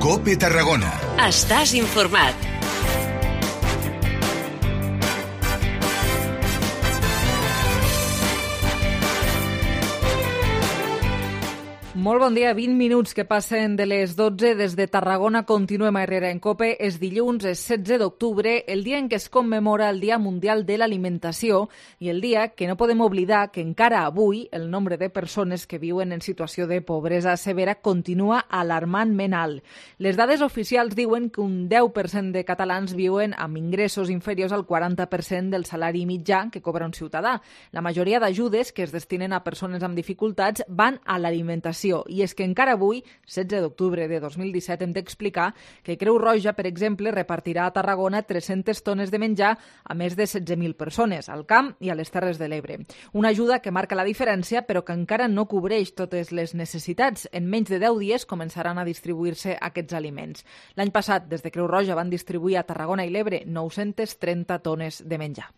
COPE Tarragona. Estàs informat. Molt bon dia, 20 minuts que passen de les 12 des de Tarragona. Continuem a Herrera en COPE. És dilluns, és 16 d'octubre, el dia en què es commemora el Dia Mundial de l'Alimentació i el dia que no podem oblidar que encara avui el nombre de persones que viuen en situació de pobresa severa continua alarmantment alt. Les dades oficials diuen que un 10% de catalans viuen amb ingressos inferiors al 40% del salari mitjà que cobra un ciutadà. La majoria d'ajudes que es destinen a persones amb dificultats van a l'alimentació. I és que encara avui, 16 d'octubre de 2017, hem d'explicar que Creu Roja, per exemple, repartirà a Tarragona 300 tones de menjar a més de 16.000 persones, al Camp i a les Terres de l'Ebre. Una ajuda que marca la diferència, però que encara no cobreix totes les necessitats. En menys de 10 dies començaran a distribuir-se aquests aliments. L'any passat, des de Creu Roja, van distribuir a Tarragona i l'Ebre 930 tones de menjar.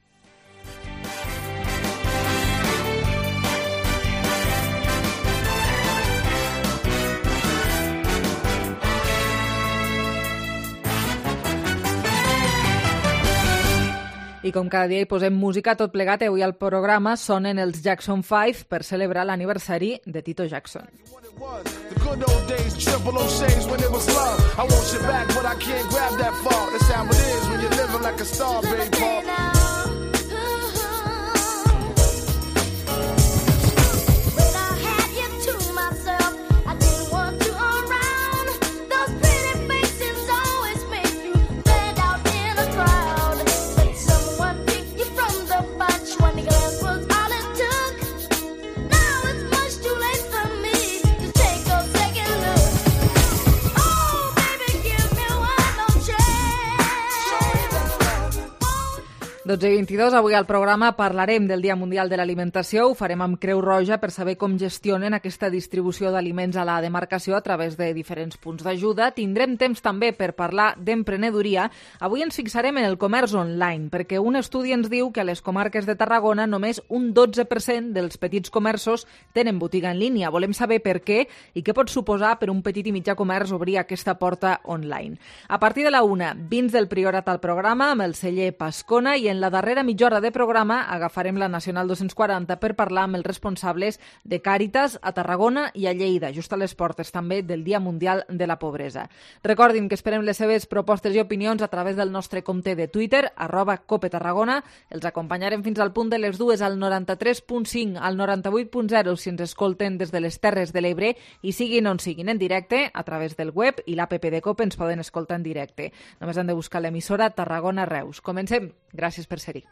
I com cada dia hi posem música tot plegat, avui al programa sonen els Jackson 5 per celebrar l'aniversari de Tito Jackson. The good old days, 006 when it was love. I want you back, but I can't grab that far. That's how it is when you're living like a star, baby. I 22, avui al programa parlarem del Dia Mundial de l'Alimentació. Ho farem amb Creu Roja per saber com gestionen aquesta distribució d'aliments a la demarcació a través de diferents punts d'ajuda. Tindrem temps també per parlar d'emprenedoria. Avui ens fixarem en el comerç online, perquè un estudi ens diu que a les comarques de Tarragona només un 12% dels petits comerços tenen botiga en línia. Volem saber per què i què pot suposar per un petit i mitjà comerç obrir aquesta porta online. A partir de la 1, vins del Priorat al programa amb el celler Pascona i en la darrera mitja hora de programa agafarem la Nacional 240 per parlar amb els responsables de Càritas a Tarragona i a Lleida, just a les portes també del Dia Mundial de la Pobresa. Recordin que esperem les seves propostes i opinions a través del nostre compte de Twitter, @COPETarragona. Els acompanyarem fins al punt de les 2 al 93.5, al 98.0 si ens escolten des de les Terres de l'Ebre i siguin on siguin en directe a través del web i l'APP de COPE ens poden escoltar en directe. Només han de buscar l'emissora Tarragona Reus. Comencem. Gràcies per ser-hi.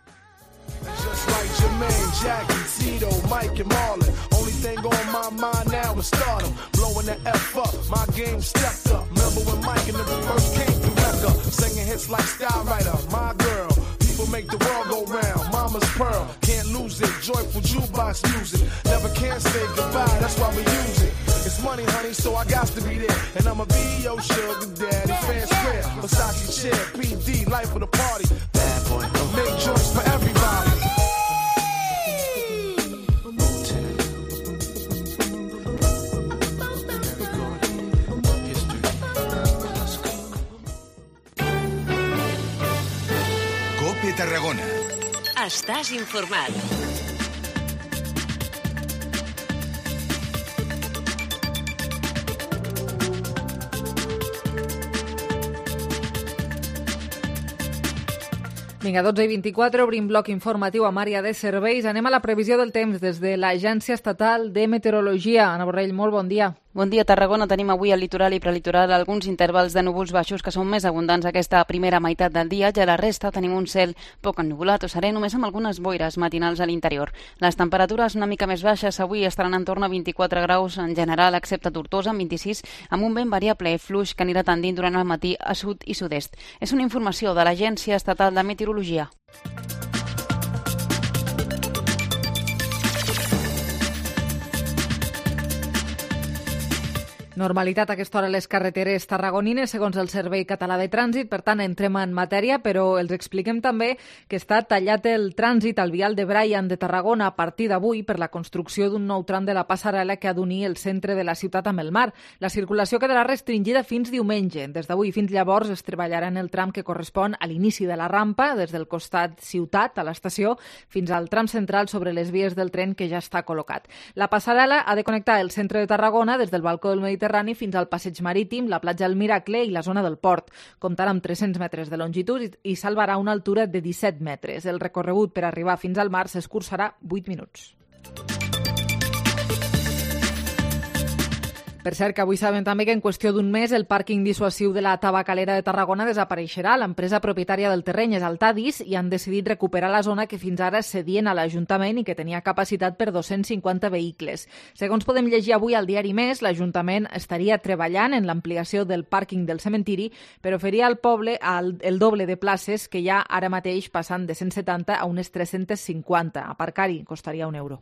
Just like Jermaine, Jackie, Tito, Mike and Marlon. Only thing on my mind now is stardom. Blowing the F up, my game stepped up. Remember when Mike and the first came through Mecca, singing hits like Style Writer, My Girl. People make the world go round. Mama's Pearl, can't lose it. Joyful jukebox music, never can say goodbye. That's why we use it. It's money, honey, so I got to be there. And I'ma be your sugar daddy. Fair square, Versace chair, PD, life of the party. Bad boy, make joints for everybody. COPE Tarragona. Estàs informat. Vinga, 12:24, obrim bloc informatiu amb àrea de serveis. Anem a la previsió del temps des de l'Agència Estatal de Meteorologia. Anna Borrell, molt bon dia. Bon dia, Tarragona. Tenim avui al litoral i prelitoral alguns intervals de núvols baixos que són més abundants aquesta primera meitat del dia. Ja a la resta tenim un cel poc ennuvolat o serè, només amb algunes boires matinals a l'interior. Les temperatures una mica més baixes avui estaran en torn a 24 graus en general, excepte Tortosa, amb 26, amb un vent variable fluix que anirà tendint durant el matí a sud i sud-est. És una informació de l'Agència Estatal de Meteorologia. Normalitat a aquesta hora a les carreteres tarragonines, segons el Servei Català de Trànsit. Per tant, entrem en matèria, però els expliquem també que està tallat el trànsit al vial de Brian de Tarragona a partir d'avui per la construcció d'un nou tram de la passarel·la que ha d'unir el centre de la ciutat amb el mar. La circulació quedarà restringida fins diumenge. Des d'avui fins llavors es treballarà en el tram que correspon a l'inici de la rampa, des del costat ciutat, a l'estació, fins al tram central sobre les vies del tren que ja està col·locat. La passarel·la ha de connectar el centre de Tarragona des del balcó del Mediterrani fins al passeig marítim, la platja del Miracle i la zona del port. Comptarà amb 300 metres de longitud i salvarà una altura de 17 metres. El recorregut per arribar fins al mar s'escurçarà 8 minuts. Per cert, que avui sabem també que en qüestió d'un mes el pàrquing dissuasiu de la Tabacalera de Tarragona desapareixerà. L'empresa propietària del terreny és Altadis i han decidit recuperar la zona que fins ara cedien a l'Ajuntament i que tenia capacitat per 250 vehicles. Segons podem llegir avui al diari Més, l'Ajuntament estaria treballant en l'ampliació del pàrquing del cementiri per oferir al poble el doble de places que hi ha ara mateix, passant de 170 a unes 350. Aparcar-hi costaria €1.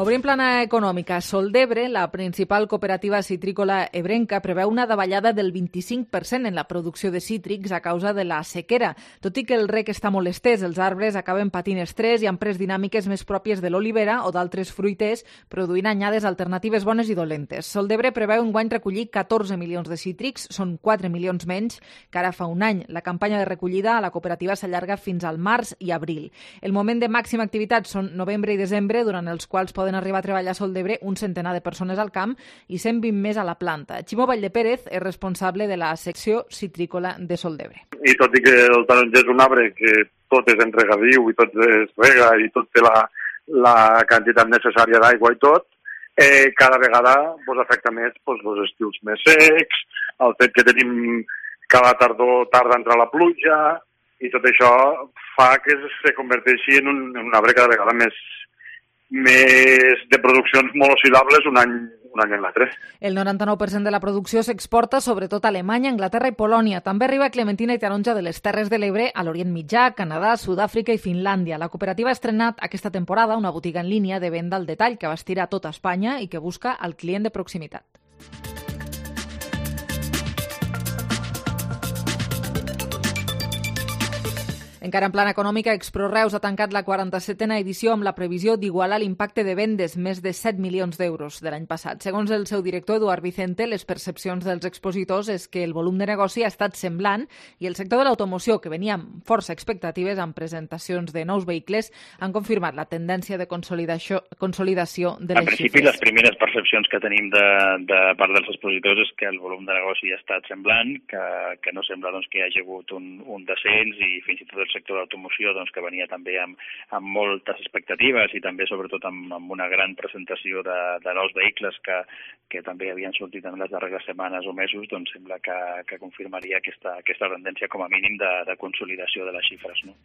Obrim plana econòmica. Soldebre, la principal cooperativa citrícola ebrenca, preveu una davallada del 25% en la producció de cítrics a causa de la sequera. Tot i que el rec està molt estès, els arbres acaben patint estrès i han pres dinàmiques més pròpies de l'olivera o d'altres fruiters, produint anyades alternatives bones i dolentes. Soldebre preveu enguany recollir 14 milions de cítrics, són 4 milions menys que ara fa un any. La campanya de recollida a la cooperativa s'allarga fins al març i abril. El moment de màxima activitat són novembre i desembre, durant els quals poden arribar a treballar a Soldebre un centenar de persones al camp i 120 més a la planta. Ximo Valldepérez és responsable de la secció citrícola de Soldebre. I tot i que el taronger és un arbre que tot és en regadiu i tot es rega i tot té la quantitat necessària d'aigua i tot, cada vegada afecta més els estius més secs, el fet que tenim cada tardor tarda a entrar la pluja i tot això fa que se converteixi en un arbre cada vegada més de produccions molt oscil·lables un any en l'altre. El 99% de la producció s'exporta sobretot a Alemanya, Anglaterra i Polònia. També arriba clementina i taronja de les Terres de l'Ebre a l'Orient Mitjà, Canadà, Sud-àfrica i Finlàndia. La cooperativa ha estrenat aquesta temporada una botiga en línia de venda al detall que abastirà tota Espanya i que busca el client de proximitat. Encara en plana econòmica, Exproreus ha tancat la 47a edició amb la previsió d'igualar l'impacte de vendes, més de 7 milions d'euros de l'any passat. Segons el seu director, Eduard Vicente, les percepcions dels expositors és que el volum de negoci ha estat semblant i el sector de l'automoció, que venia amb força expectatives amb presentacions de nous vehicles, han confirmat la tendència de consolidació de les xifres. En principi, les primeres percepcions que tenim de part dels expositors és que el volum de negoci ha estat semblant, que no sembla que hi hagi hagut un descens i fins i tot el sector d'automoció que venia també amb moltes expectatives i també sobretot amb una gran presentació de nous vehicles que també havien sortit en les darreres setmanes o mesos, sembla que confirmaria aquesta tendència com a mínim de consolidació de les xifres, no?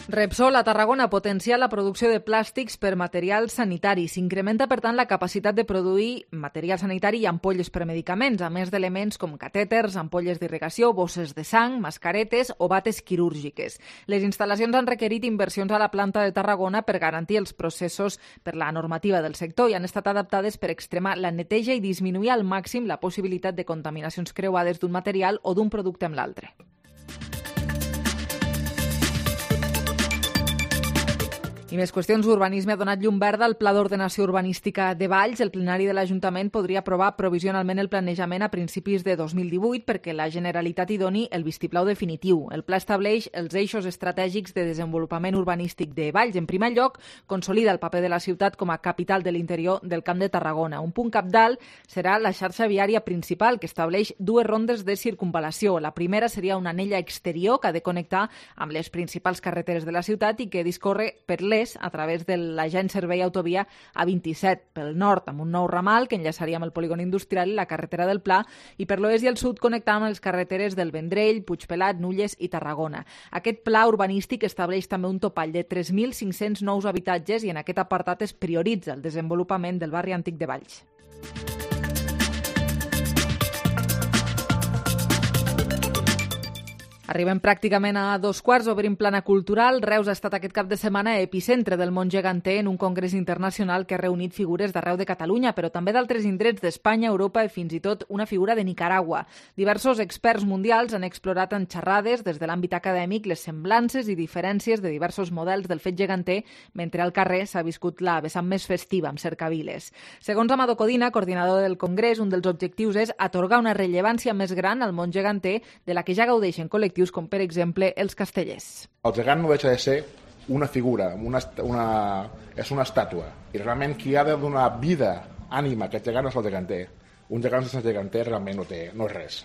Repsol a Tarragona potencia la producció de plàstics per material sanitari. S'incrementa, per tant, la capacitat de produir material sanitari i ampolles per medicaments, a més d'elements com catèters, ampolles d'irrigació, bosses de sang, mascaretes o bates quirúrgiques. Les instal·lacions han requerit inversions a la planta de Tarragona per garantir els processos per la normativa del sector i han estat adaptades per extremar la neteja i disminuir al màxim la possibilitat de contaminacions creuades d'un material o d'un producte amb l'altre. I més qüestions. Urbanisme ha donat llum verda al Pla d'Ordenació Urbanística de Valls. El plenari de l'Ajuntament podria aprovar provisionalment el planejament a principis de 2018 perquè la Generalitat hi doni el vistiplau definitiu. El pla estableix els eixos estratègics de desenvolupament urbanístic de Valls. En primer lloc, consolida el paper de la ciutat com a capital de l'interior del Camp de Tarragona. Un punt cabdal serà la xarxa viària principal, que estableix 2 rondes de circunvalació. La primera seria una anella exterior que ha de connectar amb les principals carreteres de la ciutat i que discorre per l'est a través de l'agent servei autovia A27, pel nord amb un nou ramal que enllaçaria amb el polígon industrial i la carretera del Pla, i per l'oest i el sud connectant amb les carreteres del Vendrell, Puigpelat, Nulles i Tarragona. Aquest pla urbanístic estableix també un topall de 3.500 nous habitatges i en aquest apartat es prioritza el desenvolupament del barri antic de Valls. Arribem pràcticament a 2:15, obrim plana cultural. Reus ha estat aquest cap de setmana epicentre del món geganter en un congrés internacional que ha reunit figures d'arreu de Catalunya, però també d'altres indrets d'Espanya, Europa i fins i tot una figura de Nicaragua. Diversos experts mundials han explorat en xerrades des de l'àmbit acadèmic les semblances i diferències de diversos models del fet geganter, mentre al carrer s'ha viscut la vessant més festiva amb cercaviles. Segons Amado Codina, coordinador del congrés, un dels objectius és atorgar una rellevància més gran al món geganter de la que ja gaudeixen col·lectius com, per exemple, els castellers. El gegant no deixa de ser una figura, és una estàtua. I realment qui ha de donar vida, ànima a aquest gegant és el geganter. Un gegant sense geganter realment no és res.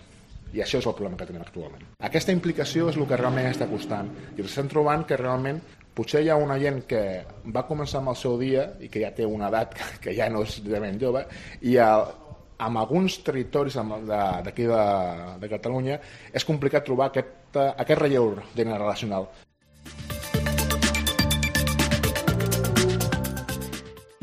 I això és el problema que tenim actualment. Aquesta implicació és el que realment està costant. I ens estem trobant que realment potser hi ha una gent que va començar amb el seu dia i que ja té una edat que ja no és realment jove, i en alguns territoris d'aquí de Catalunya és complicat trobar aquest relleu generacional.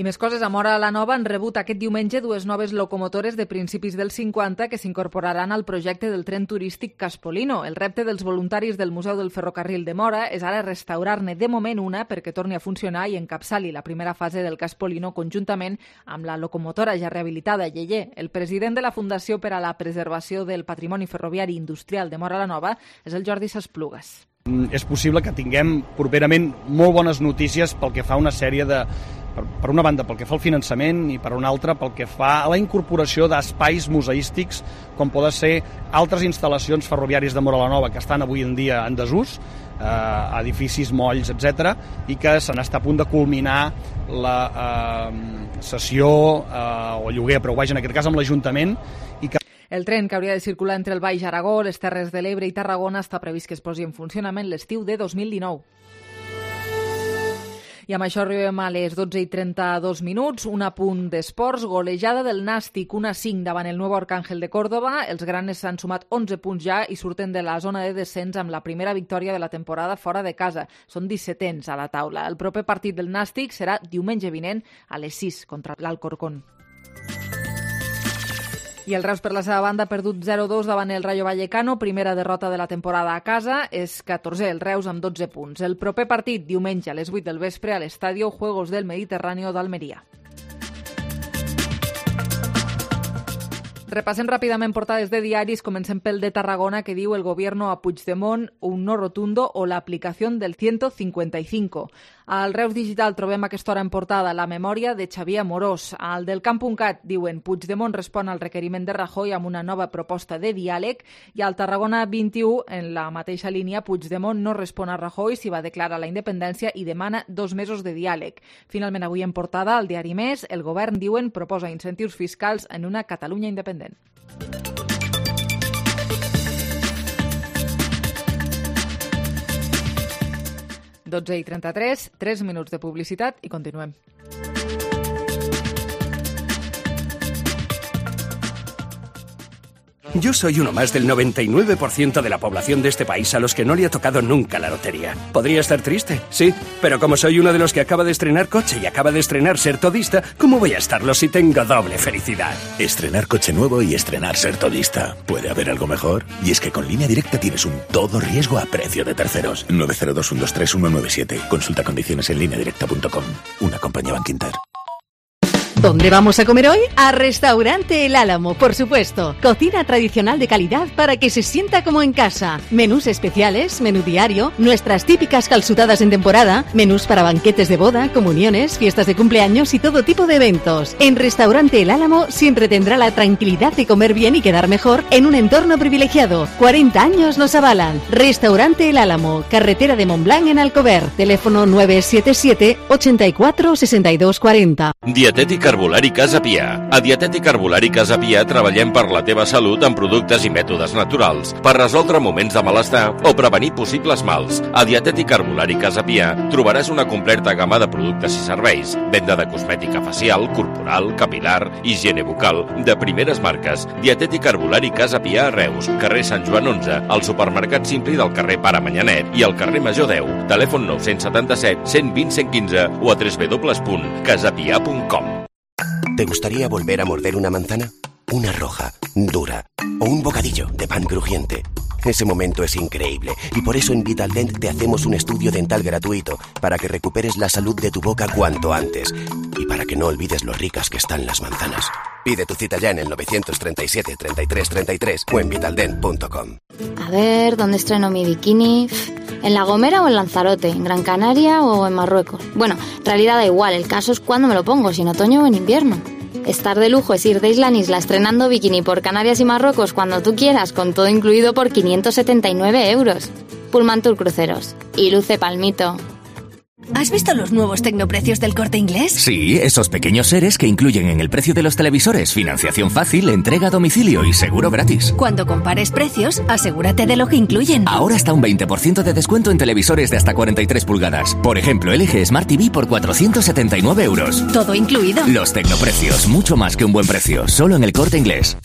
I més coses, a Móra la Nova han rebut aquest diumenge 2 noves locomotores de principis dels 50 que s'incorporaran al projecte del tren turístic Caspolino. El repte dels voluntaris del Museu del Ferrocarril de Móra és ara restaurar-ne de moment una perquè torni a funcionar i encapçali la primera fase del Caspolino conjuntament amb la locomotora ja rehabilitada Yeye. El president de la Fundació per a la Preservació del Patrimoni Ferroviari Industrial de Móra la Nova és el Jordi Sasplugues. És possible que tinguem properament molt bones notícies pel que fa a una sèrie de... Per una banda, pel que fa al finançament, i per una altra, pel que fa a la incorporació d'espais museístics, com poden ser altres instal·lacions ferroviàries de Móra la Nova, que estan avui en dia en desús, edificis, molls, etc., i que se n'està a punt de culminar la cessió o lloguer, però vaja, en aquest cas amb l'Ajuntament, i que el tren, que hauria de circular entre el Baix Aragó, les Terres de l'Ebre i Tarragona, està previst que es posi en funcionament l'estiu de 2019. I amb això arribem a les 12:32. Un apunt d'esports. Golejada del Nàstic, 1-5 davant el Nuevo Arcángel de Córdoba. Els granes s'han sumat 11 punts ja i surten de la zona de descens amb la primera victòria de la temporada fora de casa. Són 17ens a la taula. El proper partit del Nàstic serà diumenge vinent a les 6 contra l'Alcorcón. I el Reus, per la seva banda, ha perdut 0-2 davant el Rayo Vallecano, primera derrota de la temporada a casa. És 14è el Reus amb 12 punts. El proper partit, diumenge a les 8 del vespre, a l'Estadio Juegos del Mediterráneo d'Almeria. Repassem ràpidament portades de diaris. Comencem pel de Tarragona, que diu el gobierno a Puigdemont un no rotundo o la aplicación del 155. Al Reus Digital trobem aquesta hora en portada la memòria de Xavier Amorós. Al del Camp.cat diuen Puigdemont respon al requeriment de Rajoy amb una nova proposta de diàleg, i al Tarragona 21, en la mateixa línia, Puigdemont no respon a Rajoy si va declarar la independència i demana 2 mesos de diàleg. Finalment, avui en portada, al diari Més, el govern, diuen, proposa incentius fiscals en una Catalunya independent. 12:33, 3 minuts de publicitat i continuem. Yo soy uno más del 99% de la población de este país a los que no le ha tocado nunca la lotería. ¿Podría estar triste? Sí, pero como soy uno de los que acaba de estrenar coche y acaba de estrenar ser todista, ¿cómo voy a estarlo si tengo doble felicidad? Estrenar coche nuevo y estrenar ser todista. ¿Puede haber algo mejor? Y es que con Línea Directa tienes un todo riesgo a precio de terceros. 902-123-197. Consulta condiciones en lineadirecta.com. Una compañía Bankinter. ¿Dónde vamos a comer hoy? A Restaurante El Álamo, por supuesto. Cocina tradicional de calidad para que se sienta como en casa. Menús especiales, menú diario, nuestras típicas calzutadas en temporada, menús para banquetes de boda, comuniones, fiestas de cumpleaños y todo tipo de eventos. En Restaurante El Álamo siempre tendrá la tranquilidad de comer bien y quedar mejor en un entorno privilegiado. 40 años nos avalan. Restaurante El Álamo, carretera de Montblanc en Alcover. Teléfono 977 84 62 40. Dietètic Herbolari Casa Pia. A Dietètic Herbolari Casa Pia treballem per la teva salut amb productes i mètodes naturals per resoldre moments de malestar o prevenir possibles mals. A Dietètic Herbolari Casa Pia trobaràs una completa gamma de productes i serveis, venda de cosmètica facial, corporal, capilar, higiene bucal, de primeres marques. Dietètic Herbolari Casa Pia a Reus, carrer Sant Joan 11, al supermercat Simpli del carrer Pare Manyanet i al carrer Major 10. Telèfon 977 120 115 o a www.casapia.com. ¿Te gustaría volver a morder una manzana? Una roja, dura, o un bocadillo de pan crujiente. Ese momento es increíble y por eso en Vitaldent te hacemos un estudio dental gratuito para que recuperes la salud de tu boca cuanto antes y para que no olvides lo ricas que están las manzanas. Pide tu cita ya en el 937 33 33 o en vitaldent.com. A ver, ¿dónde estreno mi bikini? ¿En La Gomera o en Lanzarote? ¿En Gran Canaria o en Marruecos? Bueno, en realidad da igual, el caso es cuándo me lo pongo, si en otoño o en invierno. Estar de lujo es ir de isla en isla estrenando bikini por Canarias y Marruecos cuando tú quieras, con todo incluido por 579 €. Pullman Tour Cruceros. Y luce palmito. ¿Has visto los nuevos tecnoprecios del Corte Inglés? Sí, esos pequeños seres que incluyen en el precio de los televisores financiación fácil, entrega a domicilio y seguro gratis. Cuando compares precios, asegúrate de lo que incluyen. Ahora hasta un 20% de descuento en televisores de hasta 43 pulgadas. Por ejemplo, LG Smart TV por 479 €. Todo incluido. Los tecnoprecios, mucho más que un buen precio, solo en el Corte Inglés.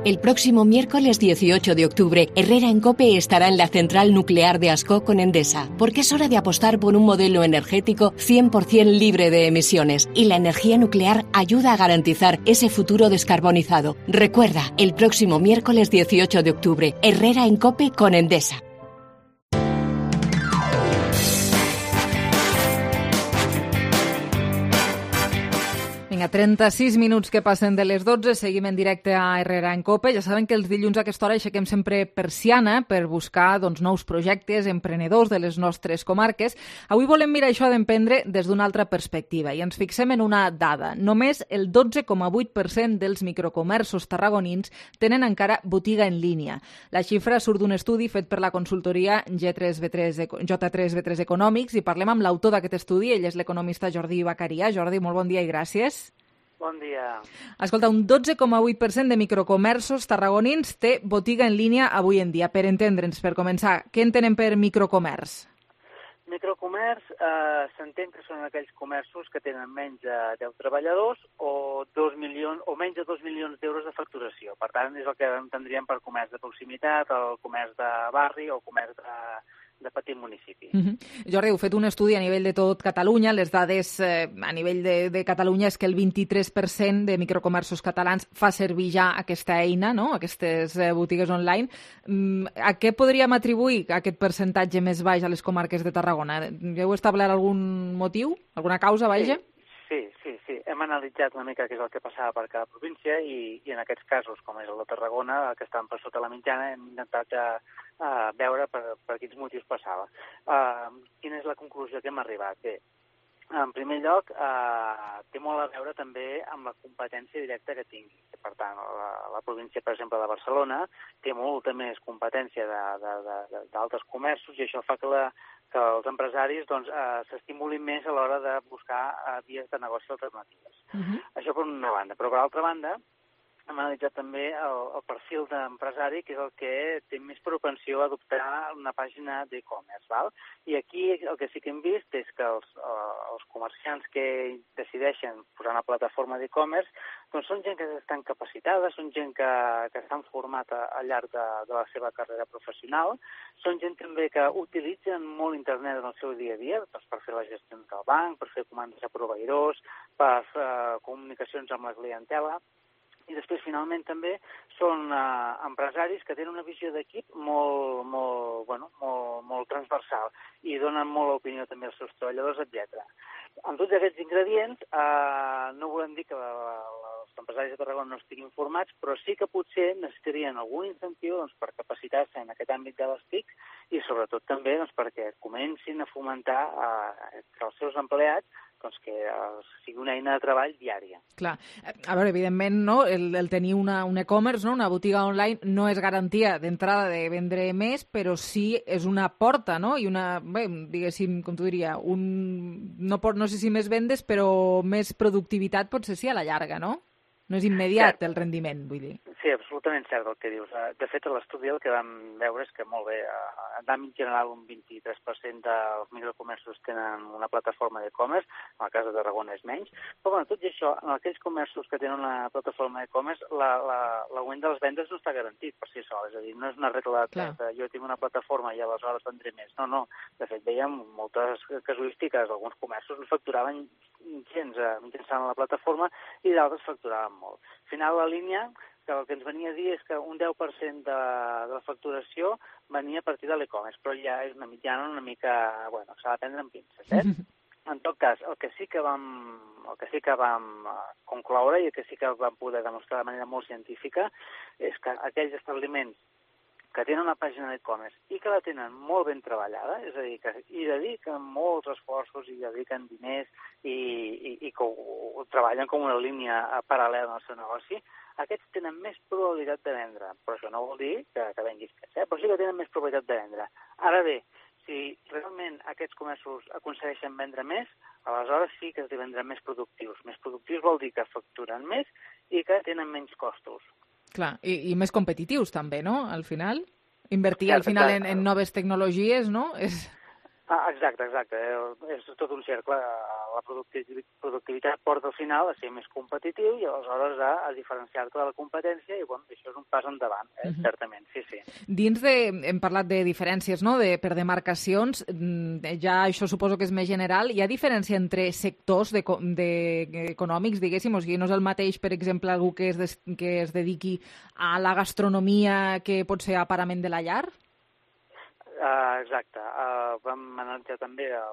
El próximo miércoles 18 de octubre, Herrera en COPE estará en la central nuclear de Ascó con Endesa, porque es hora de apostar por un modelo energético 100% libre de emisiones, y la energía nuclear ayuda a garantizar ese futuro descarbonizado. Recuerda, el próximo miércoles 18 de octubre, Herrera en COPE con Endesa. Vinga, 36 minuts que passen de les 12, seguim en directe a Herrera en COPE. Ja saben que els dilluns a aquesta hora aixequem sempre persiana per buscar nous projectes emprenedors de les nostres comarques. Avui volem mirar això d'emprendre des d'una altra perspectiva i ens fixem en una dada. Només el 12,8% dels microcomerços tarragonins tenen encara botiga en línia. La xifra surt d'un estudi fet per la consultoria J3B3 Econòmics i parlem amb l'autor d'aquest estudi. Ell és l'economista Jordi Bacaria. Jordi, molt bon dia i gràcies. Bon dia. Escolta, un 12,8% de microcomerços tarragonins té botiga en línia avui en dia. Per entendre'ns, per començar, què entenen per microcomerç? Microcomerç s'entén que són aquells comerços que tenen menys de 10 treballadors o menys de 2 milions d'euros de facturació. Per tant, és el que entendríem per comerç de proximitat, el comerç de barri o comerç de petit municipi. Jordi, heu fet un estudi a nivell de tot Catalunya. Les dades a nivell de Catalunya és que el 23% de microcomerços catalans fa servir ja aquesta eina, no? Aquestes botigues online. A què podríem atribuir aquest percentatge més baix a les comarques de Tarragona? Heu establert algun motiu? Alguna causa, vaja? Sí. Hem analitzat una mica què és el que passava per cada província i en aquests casos, com és el de Tarragona, que estan per sota la mitjana, hem intentat veure per quins motius passava. Quina és la conclusió que hem arribat? Bé, en primer lloc, té molt a veure també amb la competència directa que tingui. Per tant, la província, per exemple, de Barcelona, té molta més competència d'altres comerços i això fa que els empresaris s'estimulin més a l'hora de buscar vies de negoci alternatives. Això per una banda. Però per altra banda, hem analitzat també el perfil d'empresari, que és el que té més propensió a adoptar una pàgina d'e-commerce. I aquí el que sí que hem vist és que els comerciants que decideixen posar una plataforma d'e-commerce són gent que estan capacitada, són gent que estan format al llarg de la seva carrera professional, són gent també que utilitzen molt internet en el seu dia a dia per fer les gestions del banc, per fer comandes a proveïdors, per fer comunicacions amb la clientela. I després, finalment, també són empresaris que tenen una visió d'equip molt transversal i donen molt l'opinió també als seus treballadors, etc. Amb tots aquests ingredients, no volem dir que els empresaris de Tarragona no estiguin formats, però sí que potser necessitarien algun incentiu per capacitar-se en aquest àmbit de les TIC i, sobretot, també perquè comencin a fomentar que els seus empleats que sigui una eina de treball diària. Clar. A veure, evidentment, no? El tenir un e-commerce, una botiga online, no és garantia d'entrada de vendre més, però sí és una porta, no? I una, diguéssim, com t'ho diria, no sé si més vendes, però més productivitat potser sí a la llarga, no? No és immediat el rendiment, vull dir. Sí, absolutament cert el que dius. De fet, a l'estudi el que vam veure és que, molt bé, en àmbit general un 23% dels microcomerços tenen una plataforma d'e-commerce, en el cas de Tarragona és menys, però tot i això, en aquells comerços que tenen una plataforma d'e-commerce, l'augment de les vendes no està garantit per si sol, és a dir, no és una regla de jo tinc una plataforma i aleshores vendré més. No. De fet, veiem moltes casuístiques, alguns comerços no facturaven gens mitjançant la plataforma i d'altres facturaven molt. Al final, la línia que el que ens venia a dir és que un 10% de la facturació venia a partir de l'e-commerce, però ja és una mitjana una mica, bueno, s'ha de prendre amb pinces, En tot cas, el que sí que vam concloure i el que sí que vam poder demostrar de manera molt científica és que aquells establiments que tenen una pàgina d'e-commerce i que la tenen molt ben treballada, és a dir, que hi dediquen molts esforços, hi dediquen diners i que ho treballen com una línia paral·lela al seu negoci, aquests tenen més probabilitat de vendre. Però això no vol dir que venguis més, però sí que tenen més probabilitat de vendre. Ara bé, si realment aquests comerços aconsegueixen vendre més, aleshores sí que esdevendran més productius. Més productius vol dir que facturen més i que tenen menys costos. Clar, i més competitius també, no?, al final. Invertir al final en noves tecnologies, no? Exacte. És tot un cercle. La productivitat porta al final a ser més competitiu i aleshores a diferenciar-te de la competència i això és un pas endavant, certament, sí. Dins hem parlat de diferències, no?, per demarcacions, ja això suposo que és més general. Hi ha diferència entre sectors econòmics, diguéssim? O sigui, no és el mateix, per exemple, algú que es dediqui a la gastronomia que pot ser aparament de la llar? Exacte. Vam analitzar també la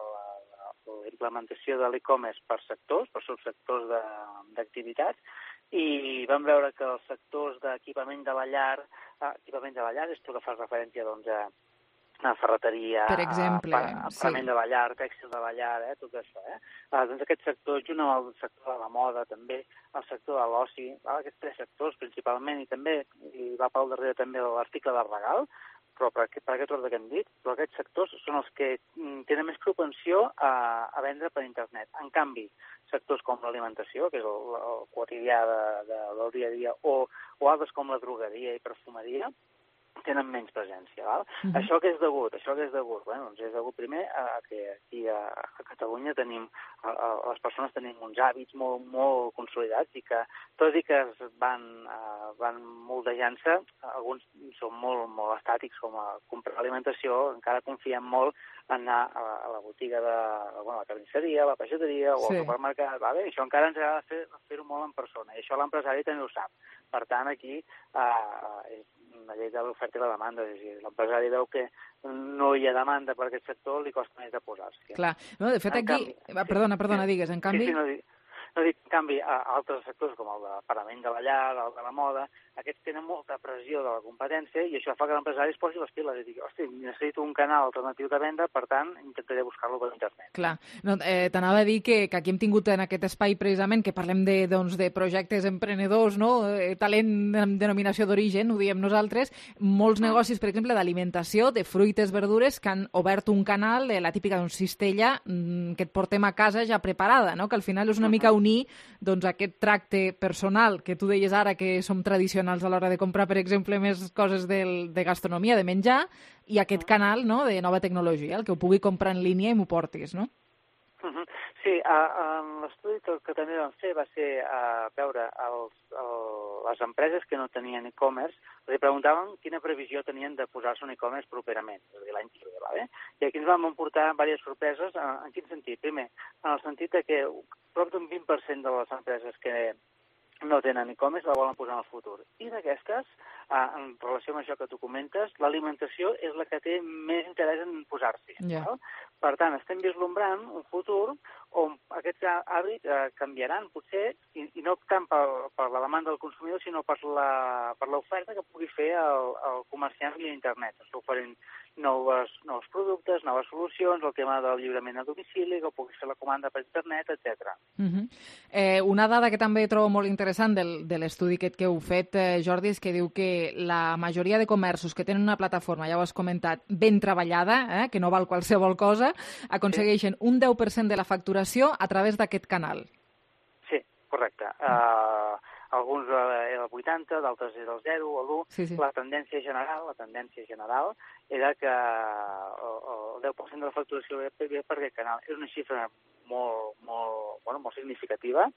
implementació de l'e-commerce per sectors, per subsectors d'activitats, i vam veure que els sectors d'equipament de la llar, és tu que fas referència a ferreteria, per exemple, aparament de la llar, tèxtil de la llar, tot això. Doncs aquest sector, junt amb el sector de la moda, també el sector de l'oci, aquests tres sectors principalment, i també hi va pel darrere també l'article de regal, però per aquest ordre que hem dit, però aquests sectors són els que tenen més propensió a vendre per internet. En canvi, sectors com l'alimentació, que és el quotidià del dia a dia, o altres com la drogueria i perfumeria, tenen menys presència. Val? Això què és degut? Bueno, doncs és degut primer a que aquí a Catalunya les persones tenim uns hàbits molt, molt consolidats i que, tot i que es van moldejant-se, alguns són molt, molt estàtics, com a comprar alimentació, encara confiem molt en anar a la botiga de la carnisseria, a la pageteria o al supermercat. Vale? Això encara ens agrada fer-ho molt en persona i això l'empresari també ho sap. Per tant, aquí és una llei de l'oferta i la demanda. És a dir, l'empresari veu que no hi ha demanda per aquest sector, li costa més de posar-s'hi. Clar. No, de fet, aquí... Perdona, digues. En canvi... En canvi, altres sectors com el de parament de la llar, el de la moda, aquests tenen molta pressió de la competència i això fa que l'empresari es posi les piles i digui, hosti, necessito un canal alternatiu de venda, per tant, intentaré buscar-lo per internet. Clar. No, t'anava a dir que aquí hem tingut en aquest espai precisament que parlem de projectes emprenedors, no? Talent amb denominació d'origen, ho diem nosaltres, molts negocis, per exemple, d'alimentació, de fruites, verdures, que han obert un canal, la típica cistella, que et portem a casa ja preparada, no? Que al final és una mica unir aquest tracte personal que tu deies ara que som tradicionals a l'hora de comprar, per exemple, més coses de gastronomia, de menjar, i aquest canal, no?, de nova tecnologia, el que ho pugui comprar en línia i m'ho portis, no? Sí, l'estudi que també vam fer va ser veure les empreses que no tenien e-commerce, els preguntaven quina previsió tenien de posar-se un e-commerce properament, és a dir, l'any que ve, va bé? I aquí ens vam emportar diverses sorpreses. En quin sentit? Primer, en el sentit que prop d'un 20% de les empreses que no tenen e-commerce la volen posar en el futur. I d'aquestes, en relació amb això que tu comentes, l'alimentació és la que té més interès en posar-s'hi. Per tant, estem vislumbrant un futur on aquests hàbits canviaran, potser, i no tant per la demanda del consumidor, sinó per l'oferta que pugui fer el comerciant via internet. Està oferint nous productes, noves solucions, el tema del lliurament a domicili, que pugui fer la comanda per internet, etc. Una dada que també trobo molt interessant de l'estudi que heu fet, Jordi, és que diu que la majoria de comerços que tenen una plataforma, ja ho has comentat, ben treballada, que no val qualsevol cosa, aconsegueixen un 10% de la facturació a través d'aquest canal. Sí, correcte. Alguns era el 80, d'altres era el 0 o l'1. Sí. La tendència general era que el 10% de la facturació ve per aquest canal. És una xifra molt significativa.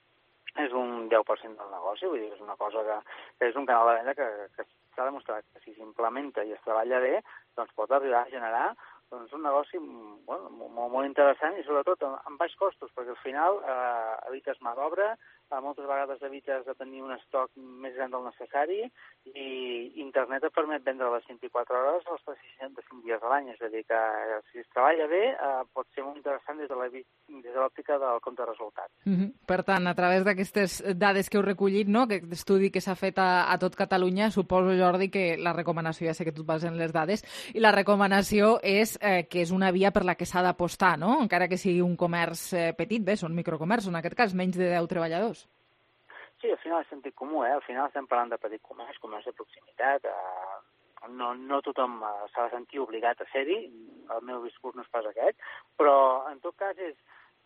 És un 10% del negoci, vull dir, és una cosa que és un canal de venda que s'ha demostrat que si s'implementa i es treballa bé, doncs pot arribar a generar un negoci molt interessant i sobretot amb baix costos, perquè al final evites mà d'obra, moltes vegades evites de tenir un estoc més gran del necessari i internet et permet vendre les 24 hores els 365 dies a l'any, és a dir, que si es treballa bé pot ser molt interessant des de l'òptica del compte de resultats. Per tant, a través d'aquestes dades que heu recollit, no? Aquest estudi que s'ha fet a tot Catalunya, suposo, Jordi, que la recomanació, ja sé que tu et bases en les dades, i la recomanació és que és una via per la que s'ha d'apostar, no? Encara que sigui un comerç petit, bé, són microcomerços, en aquest cas, menys de 10 treballadors. Sí, al final és sentit comú, al final estem parlant de petit comerç de proximitat, no tothom s'ha de sentir obligat a ser-hi, el meu discurs no és pas aquest, però en tot cas és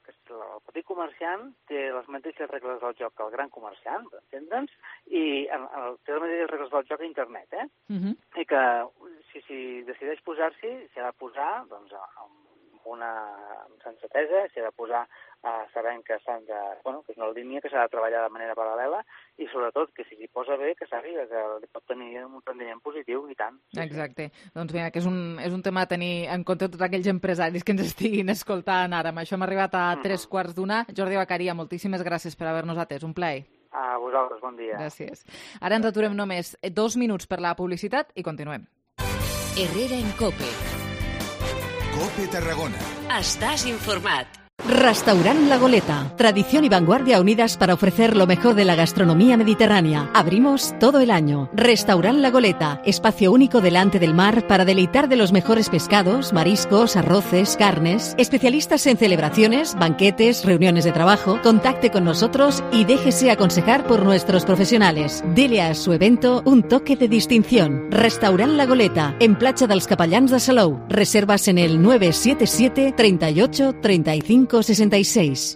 que el petit comerciant té les mateixes regles del joc que el gran comerciant, per entendre'ns, i té les mateixes regles del joc a internet, i que si decideix posar-s'hi, s'ha de posar doncs, amb una sensatesa, s'ha de posar sabent que que és una línia que s'ha de treballar de manera paral·lela i sobretot que si s'hi posa bé, que sàpiga que pot tenir un rendiment positiu i tant. Exacte. Doncs vinga, que és un tema a tenir en compte tots aquells empresaris que ens estiguin escoltant ara. Amb això hem arribat a 3:15. Jordi Bacaria, moltíssimes gràcies per haver-nos atès. Un plaer. A vosaltres, bon dia. Gràcies. Ara ens aturem només 2 minuts per la publicitat i continuem. Herrera en COPE. COPE Tarragona. Estàs informat. Restaurant La Goleta. Tradición y vanguardia unidas para ofrecer lo mejor de la gastronomía mediterránea. Abrimos todo el año. Restaurant La Goleta. Espacio único delante del mar para deleitar de los mejores pescados, mariscos, arroces, carnes. Especialistas en celebraciones, banquetes, reuniones de trabajo. Contacte con nosotros y déjese aconsejar por nuestros profesionales. Dele a su evento un toque de distinción. Restaurant La Goleta. En Platja dels Capellans de Salou. Reservas en el 977 38 35 66.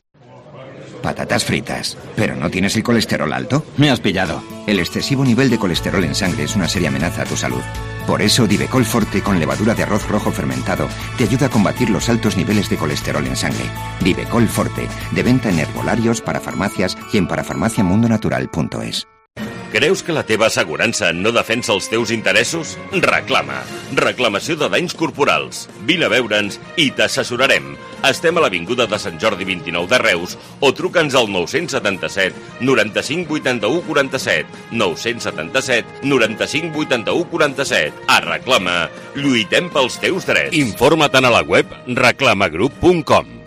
Patatas fritas. ¿Pero no tienes el colesterol alto? Me has pillado. El excesivo nivel de colesterol en sangre es una seria amenaza a tu salud. Por eso Divecol Forte con levadura de arroz rojo fermentado te ayuda a combatir los altos niveles de colesterol en sangre. Divecol Forte, de venta en herbolarios, parafarmàcies i en parafarmàciamundonatural.es. Creus que la teva assegurança no defensa els teus interessos? Reclama. Reclamació de danys corporals. Vine a veure'ns i t'assessorarem. Estem a l'Avinguda de Sant Jordi 29 de Reus o truca'ns al 977 95 81 47. 977 95 81 47. A Reclama. Lluitem pels teus drets. Informa't a la web reclamagroup.com.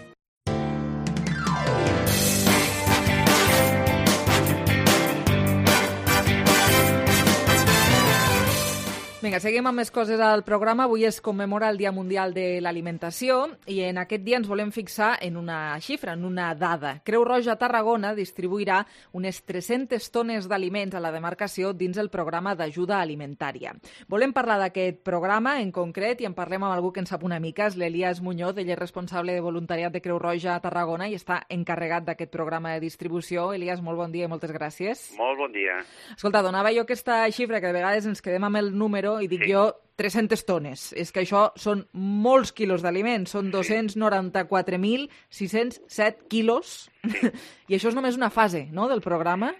Vinga, seguim amb més coses al programa. Avui es commemora el Dia Mundial de l'Alimentació i en aquest dia ens volem fixar en una xifra, en una dada. Creu Roja Tarragona distribuirà unes 300 tones d'aliments a la demarcació dins el programa d'ajuda alimentària. Volem parlar d'aquest programa en concret i en parlem amb algú que en sap una mica, és l'Elias Muñoz, ell és responsable de voluntariat de Creu Roja Tarragona i està encarregat d'aquest programa de distribució. Elias, molt bon dia i moltes gràcies. Molt bon dia. Escolta, donava jo aquesta xifra que de vegades ens quedem amb el número i dic jo 300 tones. És que això són molts quilos d'aliments, són 294.607 quilos. Sí. I això és només una fase, no?, del programa?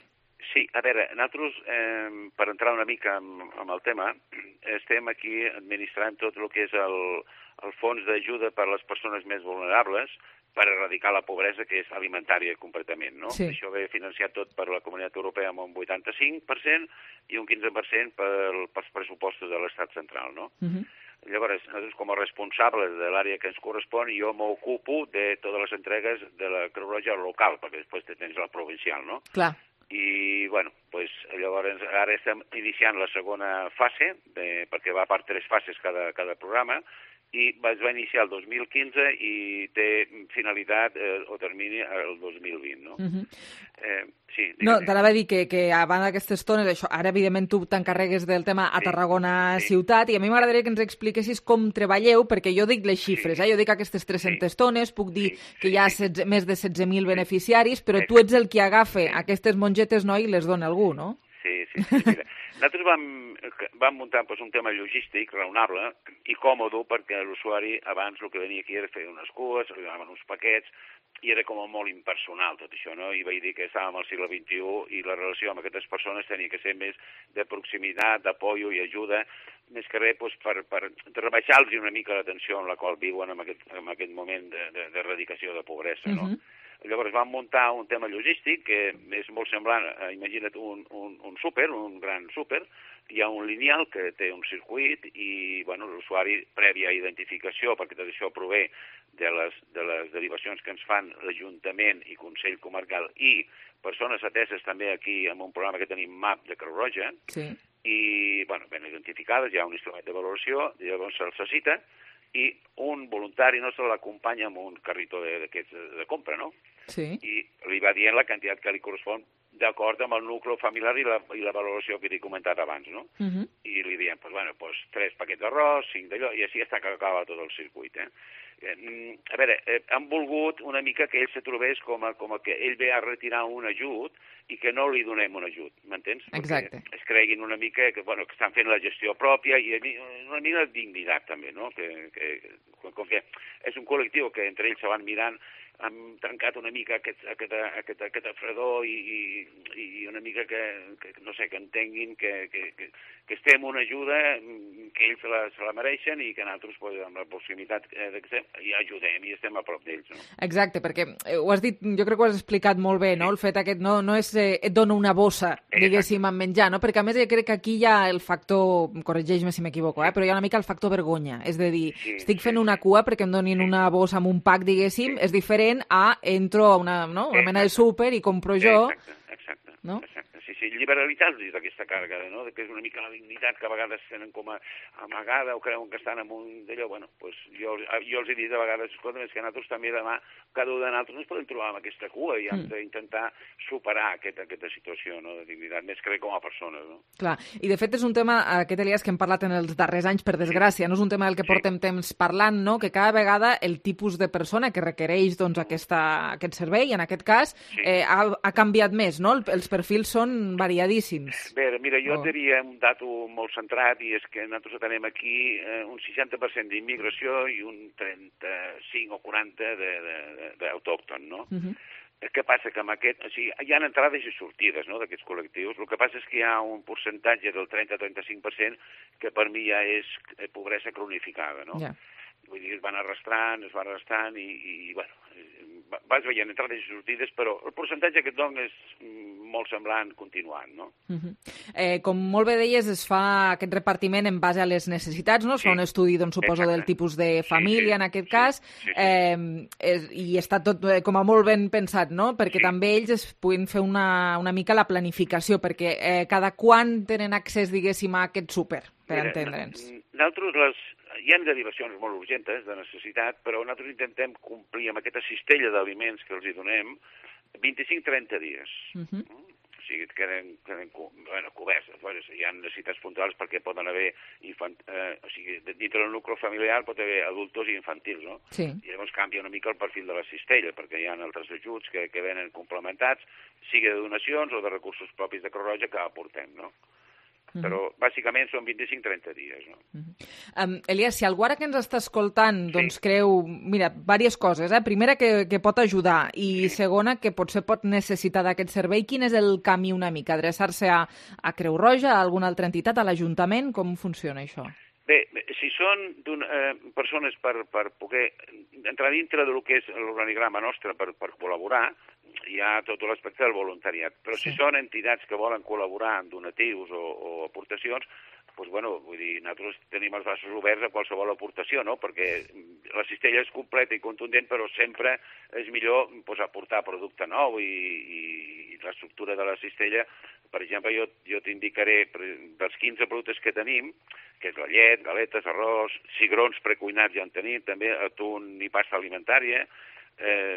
Sí, a veure, nosaltres, per entrar una mica amb el tema, estem aquí administrant tot el que és el fons d'ajuda per a les persones més vulnerables per erradicar la pobresa, que és alimentària completament, no? Sí. Això ve financiat tot per la Comunitat Europea amb un 85% i un 15% pels pressupostos de l'Estat central, no? Llavors, nosaltres com a responsables de l'àrea que ens correspon, jo m'ocupo de totes les entregues de la Creu Roja local, perquè després tens la provincial, no? Clar. I, bueno, pues, llavors ara estem iniciant la segona fase, perquè va per 3 fases cada programa, i es va iniciar el 2015 i té finalitat o termini el 2020, no? Sí, no, t'anava a dir que a banda d'aquestes tones, això, ara evidentment tu t'encarregues del tema a Tarragona ciutat, i a mi m'agradaria que ens expliquessis com treballeu, perquè jo dic les xifres, jo dic aquestes 300 tones, puc dir que hi ha més de 16.000 beneficiaris, però tu ets el que agafa aquestes mongetes, no?, i les dona algú, no? Sí, mira, nosaltres vam muntar un tema logístic raonable i còmode, perquè l'usuari abans el que venia aquí era fer unes cues, arribaven uns paquets, i era com molt impersonal tot això, no? I vaig dir que estàvem al segle XXI i la relació amb aquestes persones tenia que ser més de proximitat, d'apoyo i ajuda, més que res per rebaixar-los una mica la tensió en la qual viuen en aquest moment d'erradicació de pobresa, no? Llavors vam muntar un tema logístic que és molt semblant, imagina't un súper, un gran súper, hi ha un lineal que té un circuit i l'usuari, prèvia identificació, perquè tot això prové de les derivacions que ens fan l'Ajuntament i Consell Comarcal i persones ateses també aquí amb un programa que tenim MAP de Creu Roja, i ben identificades, hi ha un instrument de valoració, llavors se'ls cita, i un voluntari nostre l'acompanya amb un carritó d'aquests de compra, no? Sí. I li va dient la quantitat que li correspon d'acord amb el nucli familiar i la valoració que t'he comentat abans, no? I li diem, 3 paquets d'arròs, 5 d'allò, i així està que acaba tot el circuit, A veure, han volgut una mica que ell se trobés com que ell ve a retirar un ajut i que no li donem un ajut, m'entens? Exacte. Perquè es creguin una mica que estan fent la gestió pròpia i una mica de dignitat també, no? Com que és un col·lectiu que entre ells se van mirant, han trencat una mica aquesta fredor i una mica que no sé, que entenguin que estem una ajuda, que ells se la mereixen i que nosaltres, amb la proximitat hi ajudem i estem a prop d'ells. No? Exacte, perquè ho has dit, jo crec que ho has explicat molt bé, no? El fet aquest no és et dono una bossa, diguéssim, amb menjar, no? Perquè a més jo crec que aquí hi ha el factor, corregeix-me si m'equivoco, però hi ha una mica el factor vergonya, és de dir, estic fent una cua perquè em donin una bossa amb un pack, diguéssim, és diferent a entro a una mena de súper i compro jo. Exacte. No? Sí, liberalitzar-los d'aquesta càrrega, no? Que és una mica la dignitat que a vegades tenen com a amagada o creuen que estan en un d'allò. Jo els he dit a vegades, escolta, és que nosaltres també demà, cada un de nosaltres ens podem trobar amb aquesta cua i hem d'intentar superar aquesta situació, no? De dignitat, més que com a persones. No? Clar, i de fet és un tema, aquest Elias, que hem parlat en els darrers anys, per desgràcia, no és un tema del que portem temps parlant, no? Que cada vegada el tipus de persona que requereix aquest servei, en aquest cas, ha canviat més, no? Els perfils són variadíssims. Bé, mira, jo et diria un dato molt centrat i és que nosaltres tenim aquí un 60% d'immigració i un 35 o 40 d'autòcton, no? Què passa? Que amb aquest... O sigui, hi ha entrades i sortides, no?, d'aquests col·lectius. El que passa és que hi ha un percentatge del 30-35% que per mi ja és pobresa cronificada, no? Vull dir, es van arrastrant i vas veient entrades i sortides, però el percentatge que et dono és molt semblant continuant, no? Com molt bé deies, es fa aquest repartiment en base a les necessitats, no? Es fa un estudi, doncs, suposo, del tipus de família, en aquest cas, i està tot com a molt ben pensat, no? Perquè també ells es puguin fer una mica la planificació, perquè cada quan tenen accés, diguéssim, a aquest súper, per entendre'ns. Nosaltres hi ha derivacions molt urgentes de necessitat, però nosaltres intentem complir amb aquesta cistella d'aliments que els hi donem 25-30 dies. O sigui, queden coberts. Hi ha necessitats puntuals perquè poden haver o sigui, dintre del nucli familiar pot haver adultos i infantils, no? Sí. I llavors canvia una mica el perfil de la cistella, perquè hi ha altres ajuts que venen complementats, sigui de donacions o de recursos propis de Creu Roja que aportem, no? Però bàsicament són 25-30 dies. No? Elias, si algú ara que ens està escoltant doncs creu, mira, diverses coses. Primera, que pot ajudar, i segona, que potser pot necessitar d'aquest servei, quin és el camí una mica? Adreçar-se a Creu Roja, a alguna altra entitat, a l'Ajuntament? Com funciona això? Bé, si són persones per poder entrar dintre del que és l'organigrama nostre per col·laborar, hi ha tot l'aspecte del voluntariat. Però si són entitats que volen col·laborar amb donatius o aportacions, doncs, vull dir, nosaltres tenim els braços oberts a qualsevol aportació, no? Perquè la cistella és completa i contundent, però sempre és millor aportar producte nou i l'estructura de la cistella. Per exemple, jo t'indicaré dels 15 productes que tenim, que és la llet, galetes, arròs, cigrons precuinats ja en tenim, també atún i pasta alimentària,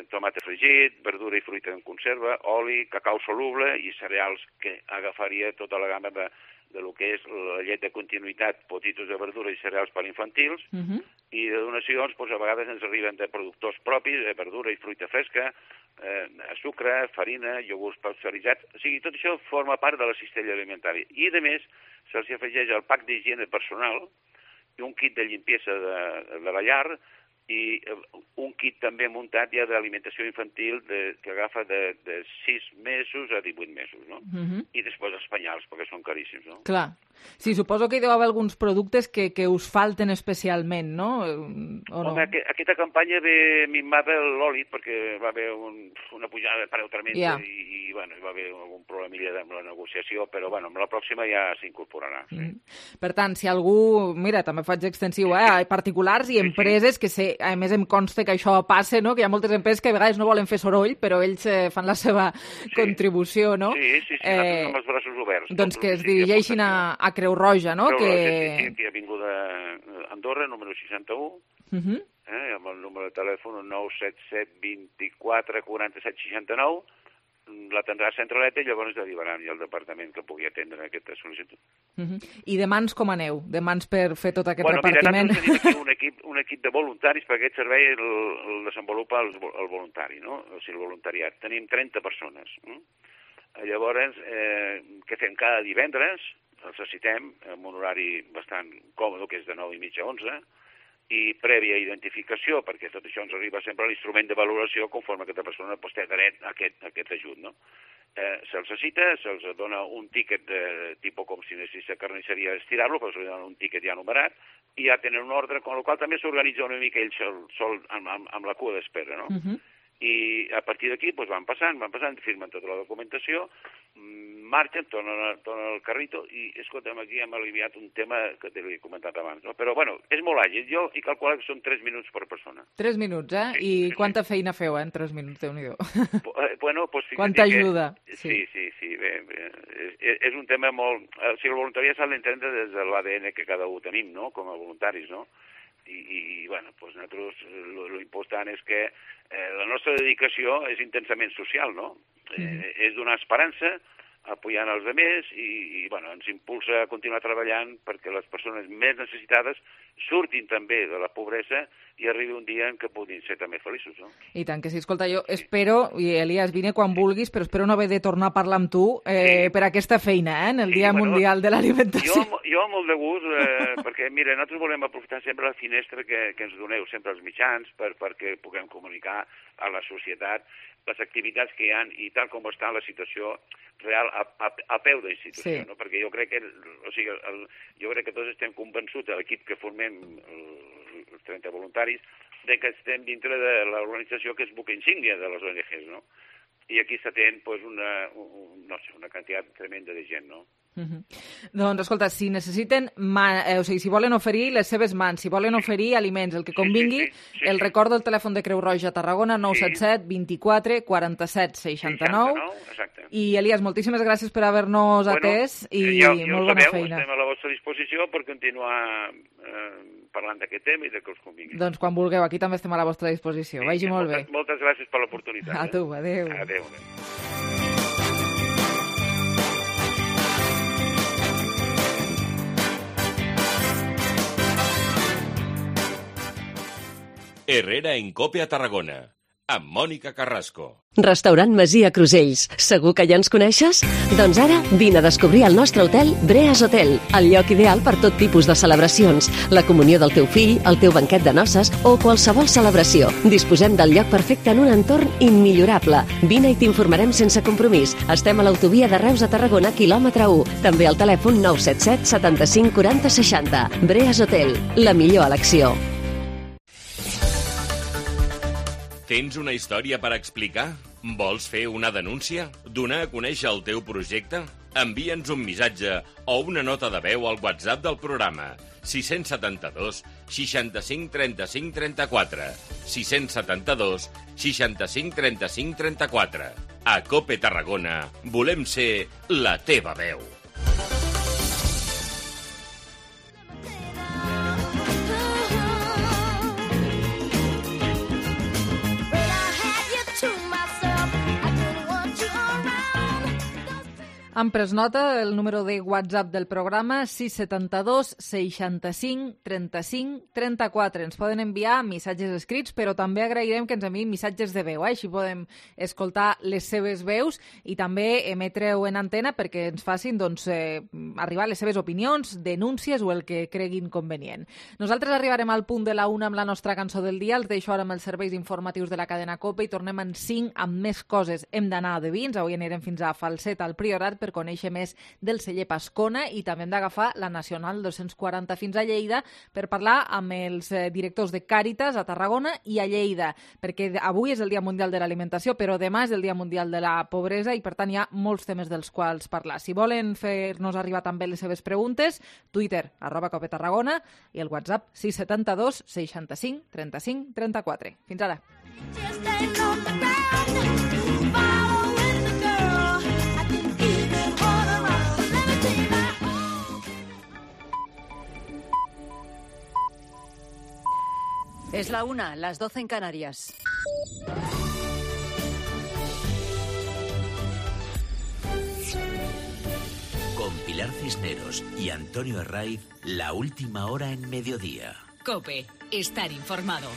tomàquet fregit, verdura i fruita en conserva, oli, cacau soluble i cereals, que agafaria tota la gamma de lo que és la llet de continuïtat, potitos de verdura i cereals per infantils, i de donacions, a vegades ens arriben de productors propis, de verdura i fruita fresca, sucre, farina, iogurts pasteuritzats, o sigui, tot això forma part de la cistella alimentària. I, a més, se'ls afegeix el pack d'higiene personal i un kit de limpiesa de la llar, i un kit també muntat ja d'alimentació infantil que agafa de 6 mesos a 18 mesos, no? I després els penyals, perquè són caríssims, no? Clar. Sí, suposo que hi deu haver alguns productes que us falten especialment, no? Home, aquesta campanya ve minvada l'oli, perquè va haver una pujada de preu tremenda i bueno, va haver algun problemilla amb la negociació, però bueno, amb la pròxima ja s'incorporarà. Sí. Per tant, si algú... Mira, també faig extensiu, a particulars i empreses, que sé, a més em consta que això passa, no? Que hi ha moltes empreses que a vegades no volen fer soroll, però ells fan la seva contribució, no? Sí, nosaltres amb els braços oberts. Doncs que es dirigeixin a Creu Roja, no? Creu Roja, sí, a Avinguda Andorra, número 61, amb el número de telèfon 977 24 47 69, l'atendrà a Centraleta i llavors derivaran al departament que pugui atendre aquesta sol·licitud. I de mans com aneu? De mans per fer tot aquest repartiment? Mira, nosaltres tenim aquí un equip de voluntaris, perquè aquest servei el desenvolupa el voluntari, no? O sigui, el voluntariat. Tenim 30 persones. Llavors, què fem? Cada divendres els necessitem amb un horari bastant còmode, que és de 9:30 a 11, i prèvia identificació, perquè tot això ens arriba sempre a l'instrument de valoració conforme aquesta persona té dret a aquest ajut, no? Se'ls cita, se'ls dona un tíquet de tipus com si necessita carnisseria estirar-lo, però se'ls dona un tíquet ja numerat, i ja tenen un ordre, amb el qual també s'organitza una mica ells sol amb la cua d'espera, no? I a partir d'aquí van passant, firmen tota la documentació, marxen, tornen al carrito i, escolta'm, aquí hem aliviat un tema que te l'he comentat abans, no? Però, bueno, és molt àgil. Jo he calculat que són 3 minuts per persona. 3 minuts, eh? Sí, I quanta feina feu, en 3 minuts, Déu-n'hi-do. Bueno, doncs... Quanta ajuda. Sí, bé. És un tema molt... O sigui, el voluntariat s'ha d'entendre des de l'ADN que cada un tenim, no?, com a voluntaris, no? I bueno, doncs nosaltres l'important és que la nostra dedicació és intensament social, no? És donar esperança, apoyant els altres i bueno, ens impulsa a continuar treballant perquè les persones més necessitades surtin també de la pobresa i arribi un dia en què puguin ser també feliços, no? I tant que sí. Escolta, jo espero, i Elias, vine quan vulguis, però espero no haver de tornar a parlar amb tu per aquesta feina, en el Dia Mundial de l'Alimentació. Jo molt de gust, perquè, mira, nosaltres volem aprofitar sempre la finestra que ens doneu, sempre els mitjans, perquè puguem comunicar a la societat les activitats que hi ha i tal com està la situació real a peu d'institució, no? Perquè jo crec que tots estem convençuts, l'equip que formem, els 30 voluntaris, de que estem dintre de l'organització que és buc insígnia de les ONGs, no? I aquí s'atén una quantitat tremenda de gent, no? Doncs, escolta, si necessiten, si volen oferir les seves mans, si volen oferir aliments, el que convingui, el recordo el telèfon de Creu Roja Tarragona, 977 24 47 69. I, Elias, moltíssimes gràcies per haver-nos atès i molt bona feina. Estem a la vostra disposició per continuar parlant d'aquest tema i de que us convingui. Doncs quan vulgueu, aquí també estem a la vostra disposició. Vagi molt bé. Moltes gràcies per l'oportunitat. A tu, adéu. Adéu. Herrera en Cope a Tarragona, amb Mònica Carrasco. Restaurant Masia Crusells. Segur que ja ens coneixes? Doncs ara vine a descobrir el nostre hotel Breas Hotel, el lloc ideal per tot tipus de celebracions, la comunió del teu fill, el teu banquet de noces o qualsevol celebració. Disposem del lloc perfecte en un entorn immillorable. Vine i t'informarem sense compromís. Estem a l'autovia de Reus a Tarragona, quilòmetre 1. També al telèfon 977 75 40 60. Breas Hotel, la millor elecció. Tens una història per explicar? Vols fer una denúncia? Donar a conèixer el teu projecte? Envia'ns un missatge o una nota de veu al WhatsApp del programa 672 65 35 34 672 65 35 34. A Cope Tarragona volem ser la teva veu. Han pres nota el número de WhatsApp del programa 672 65 35 34. Ens poden enviar missatges escrits, però també agrairem que ens enviïn missatges de veu. Així podem escoltar les seves veus i també emetre-ho en antena perquè ens facin arribar les seves opinions, denúncies o el que creguin convenient. Nosaltres arribarem al punt de la 1 amb la nostra cançó del dia. Els deixo ara amb els serveis informatius de la cadena COPE i tornem en 5 amb més coses. Hem d'anar de vins. Avui anirem fins a Falset, al Priorat, per conèixer més del celler Pascona i també hem d'agafar la Nacional 240 fins a Lleida per parlar amb els directors de Càritas a Tarragona i a Lleida, perquè avui és el Dia Mundial de l'Alimentació, però demà és el Dia Mundial de la Pobresa i per tant hi ha molts temes dels quals parlar. Si volen fer-nos arribar també les seves preguntes, Twitter, @COPETarragona i el WhatsApp 672 65 35 34. Fins ara. Es la 1, las 12 en Canarias. Con Pilar Cisneros y Antonio Herraiz, la última hora en mediodía. COPE, estar informado.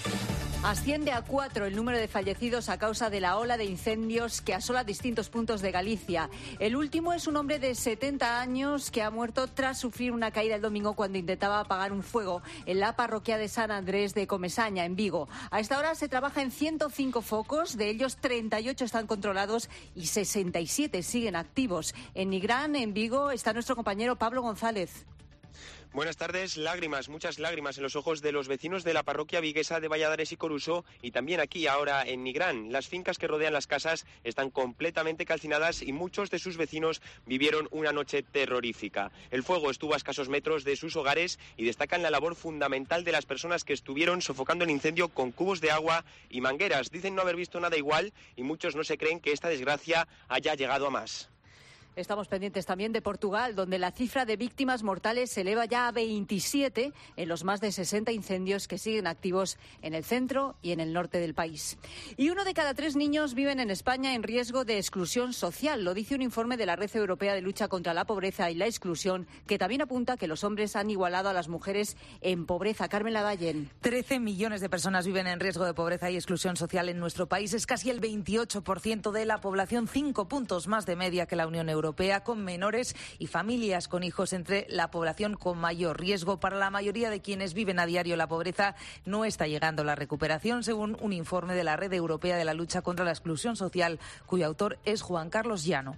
Asciende a 4 el número de fallecidos a causa de la ola de incendios que asola distintos puntos de Galicia. El último es un hombre de 70 años que ha muerto tras sufrir una caída el domingo cuando intentaba apagar un fuego en la parroquia de San Andrés de Comesaña, en Vigo. A esta hora se trabaja en 105 focos, de ellos 38 están controlados y 67 siguen activos. En Nigrán, en Vigo, está nuestro compañero Pablo González. Buenas tardes. Lágrimas, muchas lágrimas en los ojos de los vecinos de la parroquia viguesa de Valladares y Coruso y también aquí ahora en Nigrán. Las fincas que rodean las casas están completamente calcinadas y muchos de sus vecinos vivieron una noche terrorífica. El fuego estuvo a escasos metros de sus hogares y destacan la labor fundamental de las personas que estuvieron sofocando el incendio con cubos de agua y mangueras. Dicen no haber visto nada igual y muchos no se creen que esta desgracia haya llegado a más. Estamos pendientes también de Portugal, donde la cifra de víctimas mortales se eleva ya a 27 en los más de 60 incendios que siguen activos en el centro y en el norte del país. Y 1 de cada 3 niños viven en España en riesgo de exclusión social. Lo dice un informe de la Red Europea de Lucha contra la Pobreza y la Exclusión, que también apunta que los hombres han igualado a las mujeres en pobreza. Carmen Lavallén. 13 millones de personas viven en riesgo de pobreza y exclusión social en nuestro país. Es casi el 28% de la población, 5 puntos más de media que la Unión Europea, con menores y familias con hijos entre la población con mayor riesgo. Para la mayoría de quienes viven a diario la pobreza no está llegando la recuperación, según un informe de la Red Europea de la Lucha contra la Exclusión Social, cuyo autor es Juan Carlos Llano.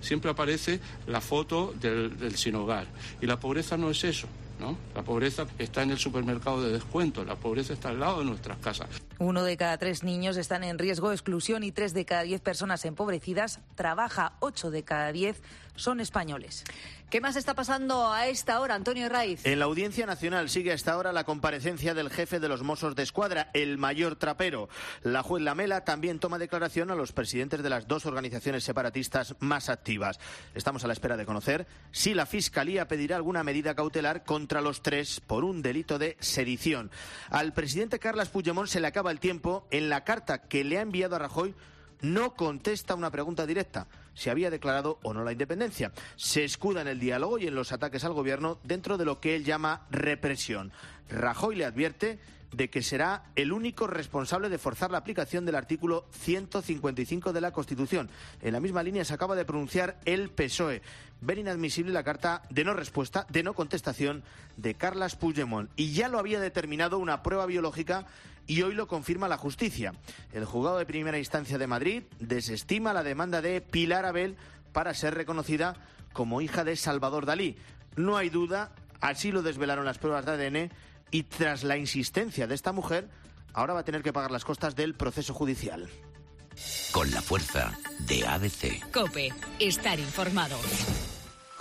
Siempre aparece la foto del sin hogar. Y la pobreza no es eso, ¿no? La pobreza está en el supermercado de descuento, la pobreza está al lado de nuestras casas. 1 de cada 3 niños están en riesgo de exclusión y 3 de cada 10 personas empobrecidas trabaja, 8 de cada 10 son españoles. ¿Qué más está pasando a esta hora, Antonio Herraiz? En la Audiencia Nacional sigue a esta hora la comparecencia del jefe de los Mossos de Escuadra, el mayor trapero. La juez Lamela también toma declaración a los presidentes de las 2 organizaciones separatistas más activas. Estamos a la espera de conocer si la Fiscalía pedirá alguna medida cautelar contra los 3 por un delito de sedición. Al presidente Carles Puigdemont se le acaba el tiempo. En la carta que le ha enviado a Rajoy no contesta una pregunta directa, si había declarado o no la independencia. Se escuda en el diálogo y en los ataques al gobierno dentro de lo que él llama represión. Rajoy le advierte de que será el único responsable de forzar la aplicación del artículo 155 de la Constitución. En la misma línea se acaba de pronunciar el PSOE. Ven inadmisible la carta de no respuesta, de no contestación de Carles Puigdemont. Y ya lo había determinado una prueba biológica y hoy lo confirma la justicia. El juzgado de primera instancia de Madrid desestima la demanda de Pilar Abel para ser reconocida como hija de Salvador Dalí. No hay duda, así lo desvelaron las pruebas de ADN, y tras la insistencia de esta mujer, ahora va a tener que pagar las costas del proceso judicial. Con la fuerza de ABC. COPE, estar informado.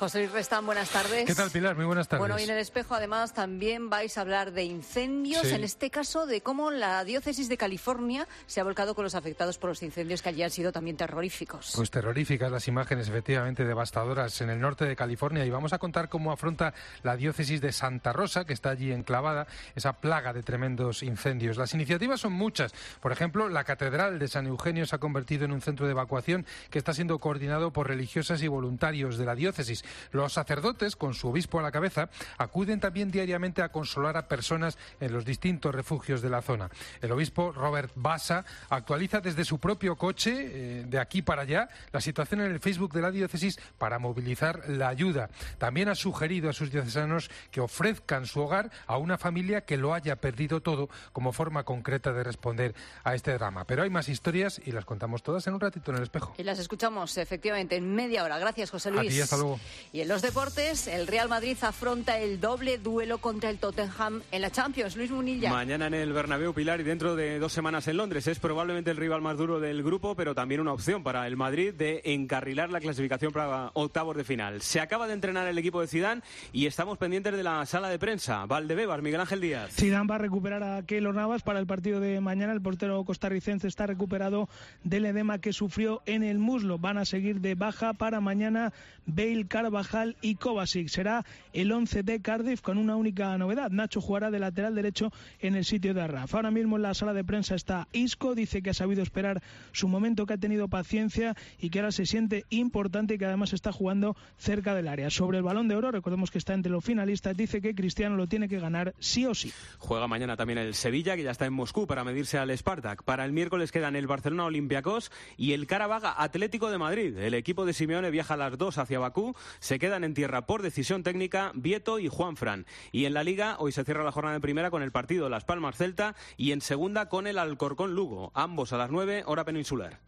José Luis Restán, buenas tardes. ¿Qué tal, Pilar? Muy buenas tardes. Bueno, y en El Espejo, además, también vais a hablar de incendios, Sí. en este caso de cómo la diócesis de California se ha volcado con los afectados por los incendios que allí han sido también terroríficos. Pues terroríficas las imágenes, efectivamente devastadoras en el norte de California, y vamos a contar cómo afronta la diócesis de Santa Rosa, que está allí enclavada, esa plaga de tremendos incendios. Las iniciativas son muchas. Por ejemplo, la Catedral de San Eugenio se ha convertido en un centro de evacuación que está siendo coordinado por religiosas y voluntarios de la diócesis. Los sacerdotes, con su obispo a la cabeza, acuden también diariamente a consolar a personas en los distintos refugios de la zona. El obispo Robert Bassa actualiza desde su propio coche, de aquí para allá, la situación en el Facebook de la diócesis para movilizar la ayuda. También ha sugerido a sus diocesanos que ofrezcan su hogar a una familia que lo haya perdido todo como forma concreta de responder a este drama. Pero hay más historias y las contamos todas en un ratito en El Espejo. Y las escuchamos, efectivamente, en media hora. Gracias, José Luis. A ti, hasta luego. Y en los deportes, el Real Madrid afronta el doble duelo contra el Tottenham en la Champions. Luis Munilla. Mañana en el Bernabéu, Pilar, y dentro de 2 semanas en Londres. Es probablemente el rival más duro del grupo, pero también una opción para el Madrid de encarrilar la clasificación para octavos de final. Se acaba de entrenar el equipo de Zidane y estamos pendientes de la sala de prensa. Valdebebas, Miguel Ángel Díaz. Zidane va a recuperar a Keylor Navas para el partido de mañana. El portero costarricense está recuperado del edema que sufrió en el muslo. Van a seguir de baja para mañana Bale, Carvajal y Kovacic. Será el 11 de Cardiff con una única novedad. Nacho jugará de lateral derecho en el sitio de Arraf. Ahora mismo en la sala de prensa está Isco. Dice que ha sabido esperar su momento, que ha tenido paciencia y que ahora se siente importante y que además está jugando cerca del área. Sobre el Balón de Oro, recordemos que está entre los finalistas, dice que Cristiano lo tiene que ganar sí o sí. Juega mañana también el Sevilla, que ya está en Moscú para medirse al Spartak. Para el miércoles quedan el Barcelona Olympiacos y el Karabag Atlético de Madrid. El equipo de Simeone viaja a las 2 hacia Bakú. Se quedan en tierra por decisión técnica Vieto y Juanfran. Y en la Liga hoy se cierra la jornada de primera con el partido Las Palmas Celta y en segunda con el Alcorcón Lugo. Ambos a las 9, hora peninsular.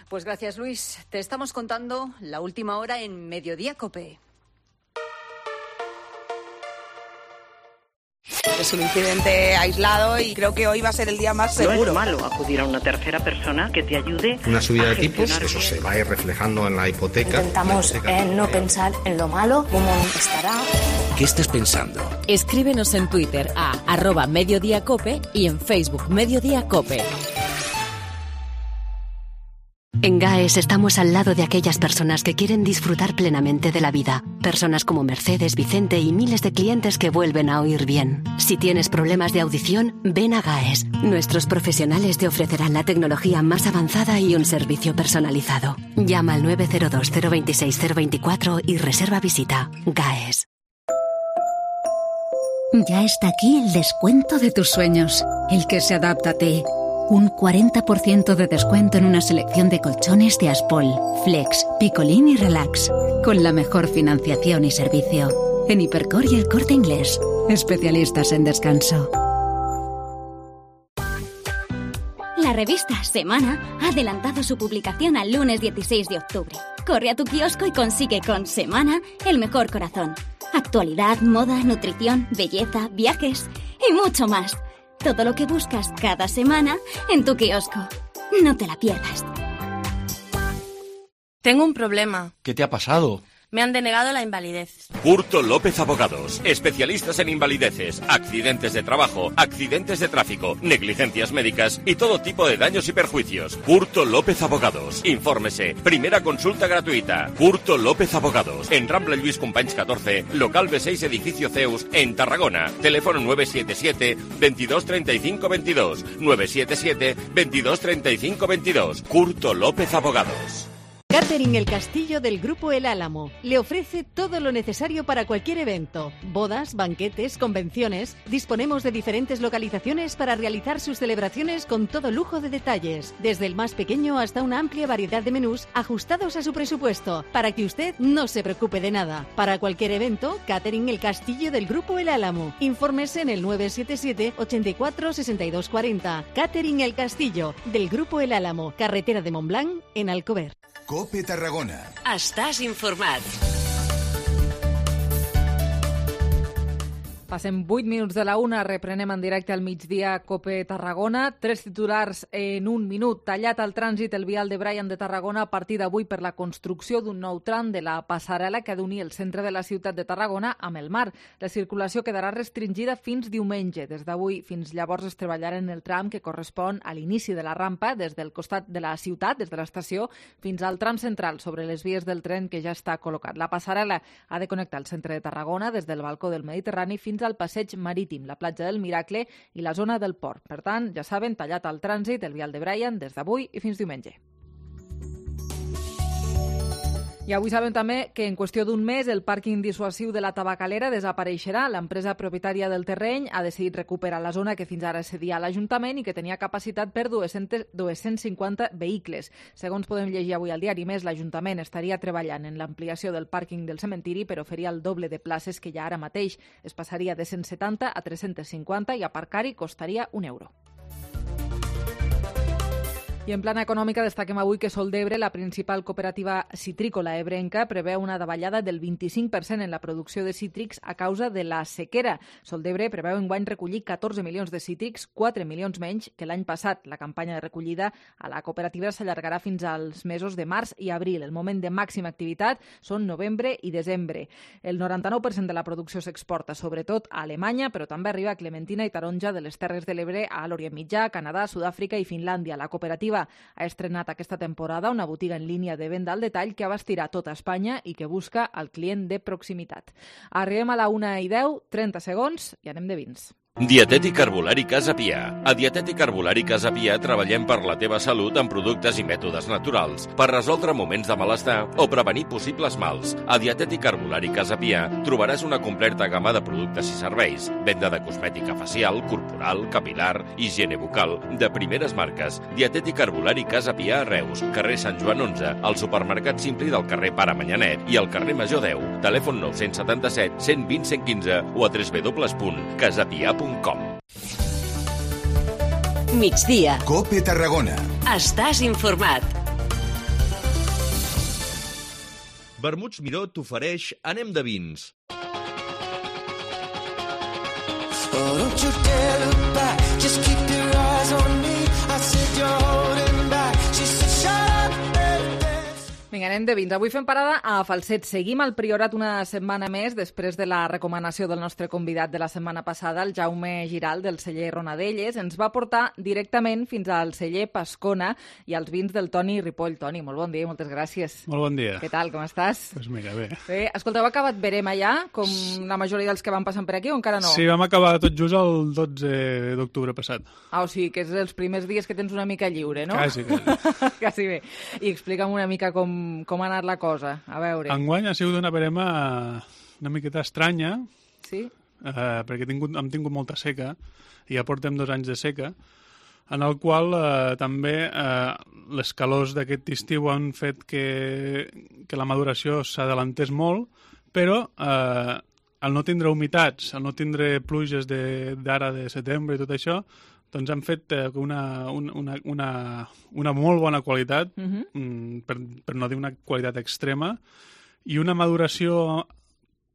Pues gracias, Luis. Te estamos contando la última hora en Mediodía COPE. Es un incidente aislado y creo que hoy va a ser el día más seguro. No es malo acudir a una tercera persona que te ayude. Una subida de tipos, eso se va a ir reflejando en la hipoteca. Intentamos no pensar en lo malo, cómo estará. ¿Qué estás pensando? Escríbenos en Twitter a @mediodiacope y en Facebook Mediodía Cope. En GAES estamos al lado de aquellas personas que quieren disfrutar plenamente de la vida. Personas como Mercedes, Vicente y miles de clientes que vuelven a oír bien. Si tienes problemas de audición, ven a GAES. Nuestros profesionales te ofrecerán la tecnología más avanzada y un servicio personalizado. Llama al 902 026 024 y reserva visita. GAES. Ya está aquí el descuento de tus sueños, el que se adapta a ti. Un 40% de descuento en una selección de colchones de Aspol, Flex, Picolín y Relax, con la mejor financiación y servicio. En Hipercor y El Corte Inglés, especialistas en descanso. La revista Semana ha adelantado su publicación al lunes 16 de octubre. Corre a tu kiosco y consigue con Semana el mejor corazón. Actualidad, moda, nutrición, belleza, viajes y mucho más. Todo lo que buscas cada semana en tu kiosco. No te la pierdas. Tengo un problema. ¿Qué te ha pasado? Me han denegado la invalidez. Curto López Abogados, especialistas en invalideces, accidentes de trabajo, accidentes de tráfico, negligencias médicas y todo tipo de daños y perjuicios. Curto López Abogados. Infórmese. Primera consulta gratuita. Curto López Abogados. En Rambla Lluís Companys 14, local B6, edificio Zeus, en Tarragona. Teléfono 977 22 35 22. 977 22 35 22. Curto López Abogados. Catering El Castillo del Grupo El Álamo le ofrece todo lo necesario para cualquier evento. Bodas, banquetes, convenciones. Disponemos de diferentes localizaciones para realizar sus celebraciones con todo lujo de detalles. Desde el más pequeño hasta una amplia variedad de menús ajustados a su presupuesto, para que usted no se preocupe de nada. Para cualquier evento, Catering El Castillo del Grupo El Álamo. Infórmese en el 977 84 62 40. Catering El Castillo del Grupo El Álamo. Carretera de Montblanc, en Alcover. COPE Tarragona. Estàs informat. Passem 8 minuts de la 1, reprenem en directe al migdia COPE Tarragona. 3 titulars en un minut. Tallat al trànsit el vial de Brian de Tarragona a partir d'avui per la construcció d'un nou tram de la passarel·la que ha d'unir el centre de la ciutat de Tarragona amb el mar. La circulació quedarà restringida fins diumenge. Des d'avui fins llavors es treballarà en el tram que correspon a l'inici de la rampa des del costat de la ciutat, des de l'estació, fins al tram central sobre les vies del tren que ja està col·locat. La passarel·la ha de connectar el centre de Tarragona des del balcó del Mediterrani fins al passeig marítim, la platja del Miracle i la zona del port. Per tant, ja saben, tallat al trànsit el vial de Brian des d'avui i fins diumenge. I avui sabem també que en qüestió d'un mes el pàrquing dissuasiu de la Tabacalera desapareixerà. L'empresa propietària del terreny ha decidit recuperar la zona que fins ara cedia a l'Ajuntament i que tenia capacitat per 250 vehicles. Segons podem llegir avui al diari Més, l'Ajuntament estaria treballant en l'ampliació del pàrquing del cementiri per oferir el doble de places que hi ha ara mateix. Es passaria de 170 a 350 i aparcar-hi costaria €1. I en plana econòmica destaquem avui que Soldebre, la principal cooperativa citrícola ebrenca, preveu una davallada del 25% en la producció de cítrics a causa de la sequera. Soldebre preveu enguany recollir 14 milions de cítrics, 4 milions menys que l'any passat. La campanya de recollida a la cooperativa s'allargarà fins als mesos de març i abril. El moment de màxima activitat són novembre i desembre. El 99% de la producció s'exporta, sobretot a Alemanya, però també arriba clementina i taronja de les Terres de l'Ebre a l'Orient Mitjà, Canadà, Sud-àfrica i Finlàndia. La cooperativa ha estrenat aquesta temporada una botiga en línia de venda al detall que abastirà tota Espanya i que busca el client de proximitat. Arribem a la 1:10, 30 segons i anem de vins. Dietètic Herbolari Casa Pia. A Dietètic Herbolari Casa Pia treballem per la teva salut amb productes i mètodes naturals, per resoldre moments de malestar o prevenir possibles mals. A Dietètic Herbolari Casa Pia trobaràs una completa gamma de productes i serveis. Venda de cosmètica facial, corporal, capilar, higiene bucal, de primeres marques. Dietètic Herbolari Casa Pia a Reus, carrer Sant Joan 11, al supermercat Simpli del carrer Pare Manyanet i al carrer Major 10. Telèfon 977 120 115 o a www.casapia.com. Migdia. COPE Tarragona. Estàs informat. Vermuts Miró t'ofereix Anem de vins. Vinga, anem de vins. Avui fem parada a Falset. Seguim al Priorat una setmana més després de la recomanació del nostre convidat de la setmana passada, el Jaume Giral, del celler Ronadelles. Ens va portar directament fins al celler Pascona i als vins del Toni Ripoll. Toni, molt bon dia i moltes gràcies. Molt bon dia. Què tal, com estàs? Doncs mira, bé. Bé, escolta, heu acabat verema ja, com la majoria dels que van passant per aquí, o encara no? Sí, vam acabar tot just el 12 d'octubre passat. Ah, o sigui, que és els primers dies que tens una mica lliure, no? Quasi. Quasi bé. I explica'm una mica com ha anat la cosa, a veure. Enguany ha sigut una verema una miqueta estranya, sí? Perquè hem tingut molta seca, i ja portem 2 anys de seca, en el qual també les calors d'aquest estiu han fet que la maduració s'adelantés molt, però al no tindre humitats, al no tindre pluges d'ara de setembre i tot això, doncs han fet una molt bona qualitat, per no dir una qualitat extrema, i una maduració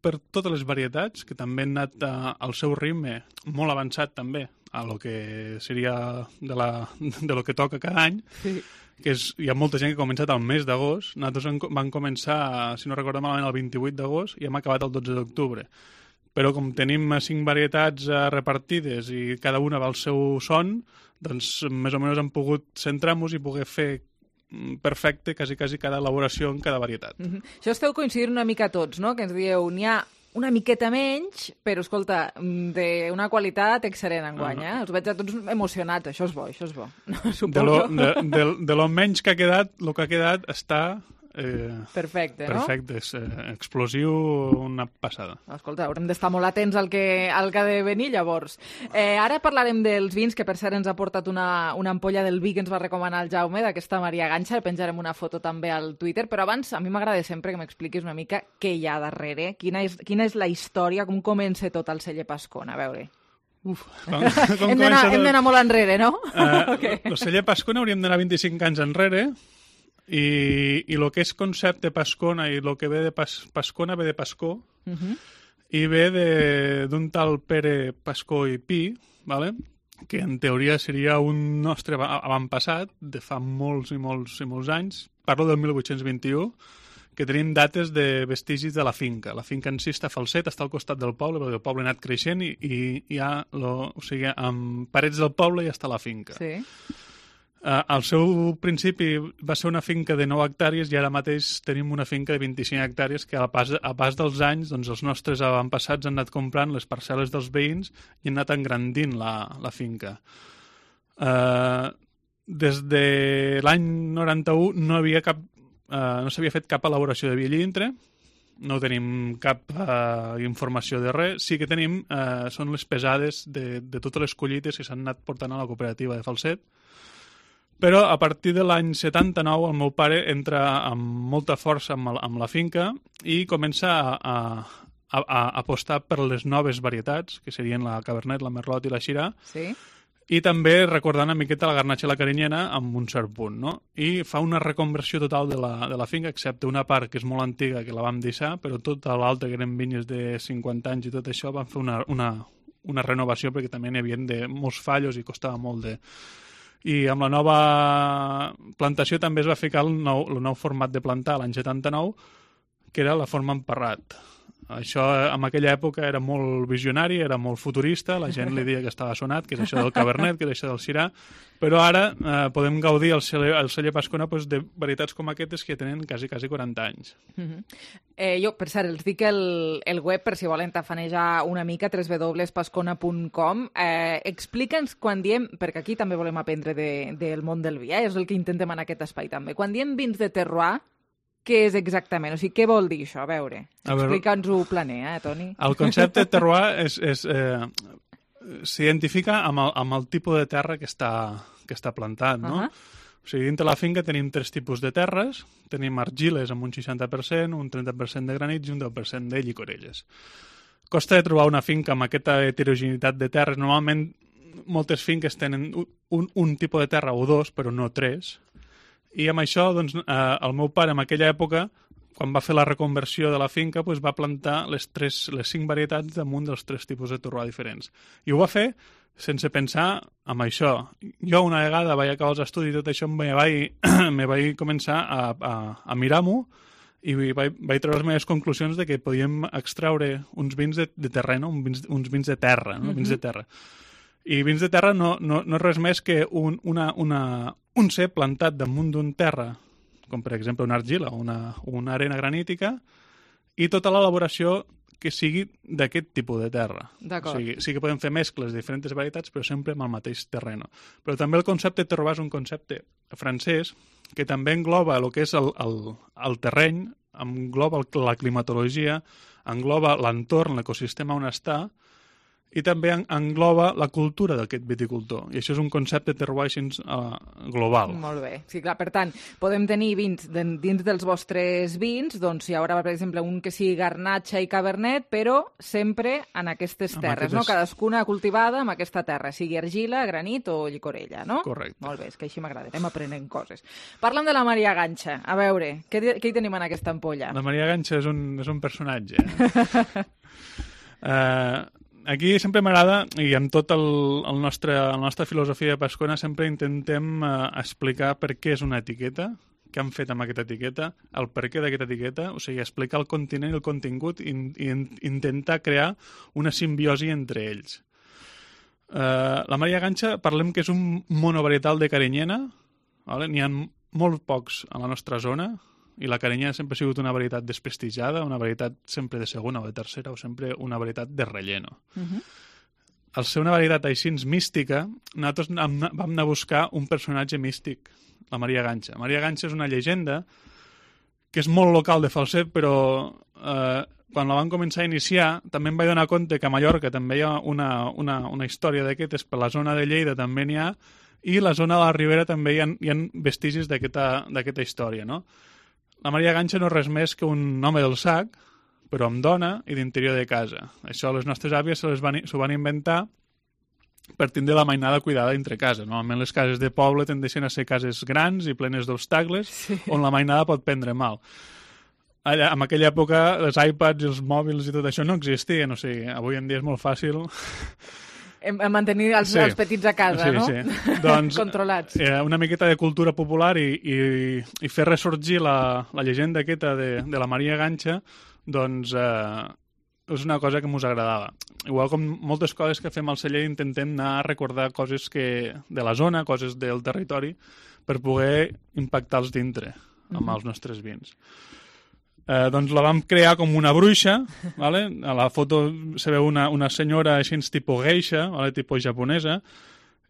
per totes les varietats, que també han anat al seu ritme molt avançat també, a lo que seria de lo que toca cada any, sí. Que hi ha molta gent que ha començat al mes d'agost. Nosaltres vam començar, si no recordo malament, el 28 d'agost i hem acabat el 12 d'octubre. Però com tenim 5 varietats repartides i cada una va al seu son, doncs més o menys hem pogut centrar-nos i poder fer perfecte quasi cada elaboració en cada varietat. Això esteu coincidint una mica tots, no? Que ens dieu, n'hi ha una miqueta menys, però, escolta, d'una qualitat excel·lent enguany, eh? Us veig a tots emocionats, això és bo, això és bo. Suposo. De lo menys que ha quedat, el que ha quedat està... perfecte, no? Perfecte, és explosiu, una passada. Escolta, haurem d'estar molt atents al que ha de venir, llavors. Ara parlarem dels vins, que per cert ens ha portat una ampolla del vi que ens va recomanar el Jaume, d'aquesta Maria Ganxa, penjarem una foto també al Twitter, però abans a mi m'agrada sempre que m'expliquis una mica què hi ha darrere, quina és la història, com comença tot el celler Pascona, a veure. Hem d'anar molt enrere, no? El celler Pascona hauríem d'anar 25 anys enrere, i el que és concepte Pascona i el que ve de Pascona ve de Pascó, i ve d'un tal Pere Pascó i Pi, vale? Que en teoria seria un nostre avantpassat de fa molts i molts anys. Parlo del 1821, que tenim dates de vestigis de la finca. La finca en si està a Falset, està al costat del poble, perquè el poble ha anat creixent i hi ha, amb parets del poble ja està la finca. Sí. Al seu principi va ser una finca de 9 hectàrees i ara mateix tenim una finca de 25 hectàrees que a pas dels anys doncs, els nostres avantpassats han anat comprant les parcel·les dels veïns i han anat engrandint la finca. Des de l'any 91 no s'havia fet cap elaboració de vi dintre, no tenim cap informació de res. Sí que tenim, són les pesades de totes les collites que s'han anat portant a la cooperativa de Falset. Però a partir de l'any 79 el meu pare entra amb molta força amb la finca i comença a apostar per les noves varietats, que serien la Cabernet, la Merlot i la Syrah, sí. I també recordant una miqueta la Garnatxa i la Carinyena amb un cert punt, no? I fa una reconversió total de la finca, excepte una part que és molt antiga, que la vam deixar, però tota l'altra, que eren vinyes de 50 anys i tot això, van fer una renovació perquè també n'hi havia molts fallos i costava molt de... I amb la nova plantació també es va ficar el nou format de plantar l'any 79, que era la forma emparrat. Això en aquella època era molt visionari, era molt futurista, la gent li deia que estava sonat, que és això del Cabernet, que és això del Syrah, però ara podem gaudir al celler Pascona de varietats com aquestes que tenen quasi 40 anys. Jo, per cert, els dic el web per si volen tafanejar una mica, www.pascona.com. Explica'ns quan diem, perquè aquí també volem aprendre del món del vi, és el que intentem en aquest espai també. Quan diem vins de terroir, què és exactament? O sigui, què vol dir això? A veure, explica'ns-ho planer, Toni? El concepte de terroir s'identifica amb el tipus de terra que està plantat, no? O sigui, dintre la finca tenim 3 tipus de terres. Tenim argiles amb un 60%, un 30% de granits i un 10% de llicorelles. Costa de trobar una finca amb aquesta heterogeneïtat de terres. Normalment, moltes finques tenen un tipus de terra o 2, però no 3. I amb això, doncs, el meu pare, en aquella època, quan va fer la reconversió de la finca, doncs, va plantar les 5 varietats damunt dels 3 tipus de terroir diferents. I ho va fer sense pensar en això. Jo una vegada vaig acabar els estudis i tot això me vaig començar a mirar-m'ho i vaig treure les meves conclusions de que podíem extraure uns vins de terreno, uns vins de terra, no? Vins de terra. I vins de terra no és res més que un cep plantat damunt d'un terra, com per exemple una argila o una arena granítica, i tota l'elaboració que sigui d'aquest tipus de terra. D'acord. O sigui, sí que podem fer mescles de diferents varietats, però sempre amb el mateix terreno. Però també el concepte de terroir és un concepte francès que també engloba el que és el terreny, engloba la climatologia, engloba l'entorn, l'ecosistema on està, i també engloba la cultura d'aquest viticultor. I això és un concepte de terroir global. Molt bé. Sí, clar, per tant, podem tenir vins dins dels vostres vins, doncs hi haurà, per exemple, un que sigui Garnatxa i Cabernet, però sempre en aquestes terres, no? Cadascuna cultivada amb aquesta terra, sigui argila, granit o llicorella, no? Correcte. Molt bé, és que així m'agrada, anem aprenent coses. Parlem de la Maria Ganxa. A veure, què hi tenim en aquesta ampolla? La Maria Ganxa és un personatge. Aquí sempre m'agrada, i amb tota la nostra filosofia de Pascona, sempre intentem explicar per què és una etiqueta, què han fet amb aquesta etiqueta, el per què d'aquesta etiqueta, o sigui, explicar el continent i el contingut i intentar crear una simbiosi entre ells. La Maria Ganxa, parlem que és un monovarietal de Carinyena, vale? N'hi ha molt pocs a la nostra zona, i la Carinyena sempre ha sigut una varietat desprestigiada, una varietat sempre de segona o de tercera, o sempre una varietat de relleno. Al ser una varietat així mística, nosaltres vam anar a buscar un personatge místic, la Maria Ganxa. Maria Ganxa és una llegenda que és molt local de Falset, però quan la van començar a iniciar també em vaig donar compte que a Mallorca també hi ha una història d'aquestes, per la zona de Lleida també n'hi ha, i la zona de la Ribera també hi ha vestigis d'aquesta història, no? La Maria Ganxa no és res més que un home del sac, però amb dona i d'interior de casa. Això les nostres àvies s'ho van inventar per tindre la mainada cuidada entre casa. Normalment les cases de poble tendeixen a ser cases grans i plenes d'obstacles, sí, on la mainada pot prendre mal. en aquella època les iPads i els mòbils i tot això no existien, o sigui, avui en dia és molt fàcil mantenir els petits a casa, no? Sí. Doncs, controlats. Una miqueta de cultura popular i fer ressorgir la llegenda aquesta de la Maria Ganxa, doncs és una cosa que mos agradava. Igual com moltes coses que fem al celler intentem anar a recordar coses de la zona, coses del territori, per poder impactar-los dintre amb els nostres vins. Doncs la vam crear com una bruixa, ¿vale? A la foto se veu una senyora així tipus geisha, ¿vale? Tipus japonesa,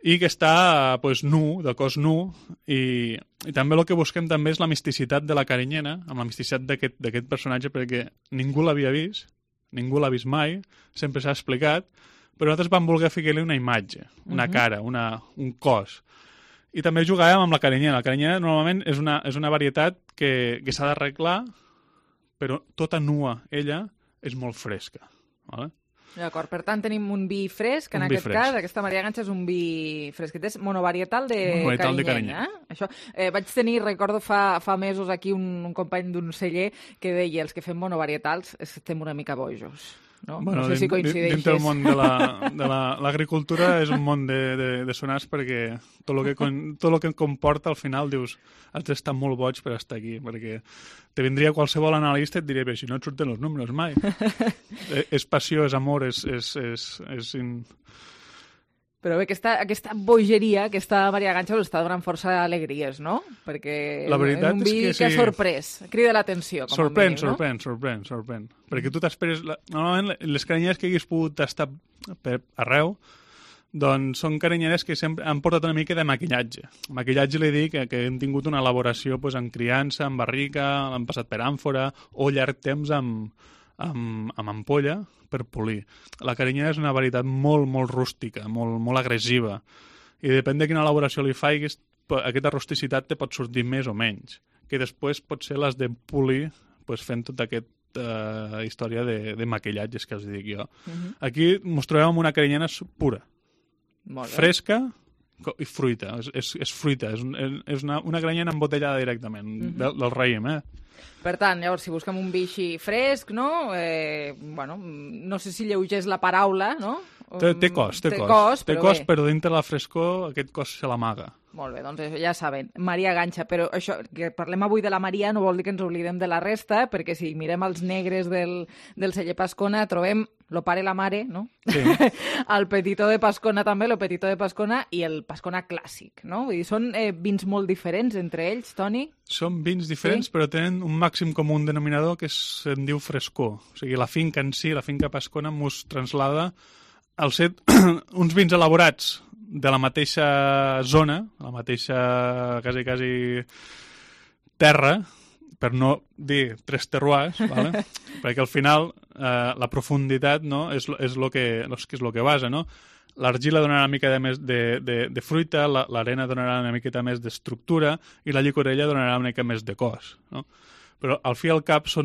i que està pues, nu, de cos nu, i també el que busquem també és la misticitat de la carinyena, amb la misticitat d'aquest personatge, perquè ningú l'havia vist, ningú l'ha vist mai, sempre s'ha explicat, però nosaltres vam voler ficar-li una imatge, una cara, un cos. I també jugàvem amb la carinyena. La carinyena normalment és una varietat que s'ha d'arreglar, però tota nua, ella, és molt fresca. Vale? D'acord, per tant tenim un vi fresc, en aquest cas, aquesta Maria Ganxa és un vi fresquet, és monovarietal de carinyena. Això, vaig tenir, recordo fa mesos aquí un company d'un celler que deia els que fem monovarietals estem una mica bojos. No? Bueno, no sé si coincideixes. Dintre del món de l'agricultura és un món de sonars perquè tot el que comporta al final dius has d'estar molt boig per estar aquí perquè te vindria qualsevol analista i et diria però si no et surten els números mai. És passió, és amor, Però bé, aquesta bogeria, aquesta Maria Ganxa us està donant força alegries, no? Perquè és un vi que ha sorprès, crida l'atenció, com a mínim, no? Sorprèn. Perquè tu t'esperes... Normalment, les carinyeres que hagués pogut estar per arreu, doncs són carinyeres que sempre han portat una mica de maquillatge. Maquillatge li dic que hem tingut una elaboració en criança, en barrica, l'han passat per àmfora, o llarg temps amb ampolla, per polir. La carinyena és una varietat molt, molt rústica, molt, molt agressiva. I depèn de quina elaboració li faiguis, aquesta rusticitat te pot sortir més o menys. Que després potser les de polir fent tota aquesta història de maquillatges que els dic jo. Aquí ens trobem amb una carinyena pura. Fresca i fruita. És fruita. És una carinyena embotellada directament, del raïm, Per tant, llavors, si busquem un vi així fresc, no? No sé si lleugers la paraula, no? Té cos, però dintre la frescor aquest cos se l'amaga. Molt bé, doncs ja saben, Maria Ganxa, però això, que parlem avui de la Maria no vol dir que ens oblidem de la resta, perquè si mirem els negres del celler Pascona trobem lo pare i la mare, no? Sí. El petitó de Pascona també, lo petitó de Pascona i el Pascona clàssic, no? Vull dir, són vins molt diferents entre ells, Toni? Són vins diferents, però tenen un màxim comú denominador que se'n diu frescor. O sigui, la finca en si, la finca Pascona, mos traslada al ser uns vins elaborats de la mateixa zona, la mateixa quasi terra, per no dir tres terroirs, ¿vale? Perquè al final la profunditat, no, és lo que basa, no? L'argila donarà una mica més de fruita, l'arena donarà una miqueta més d'estructura i la llicorella donarà una mica més de cos, no? Però al fi i al cap és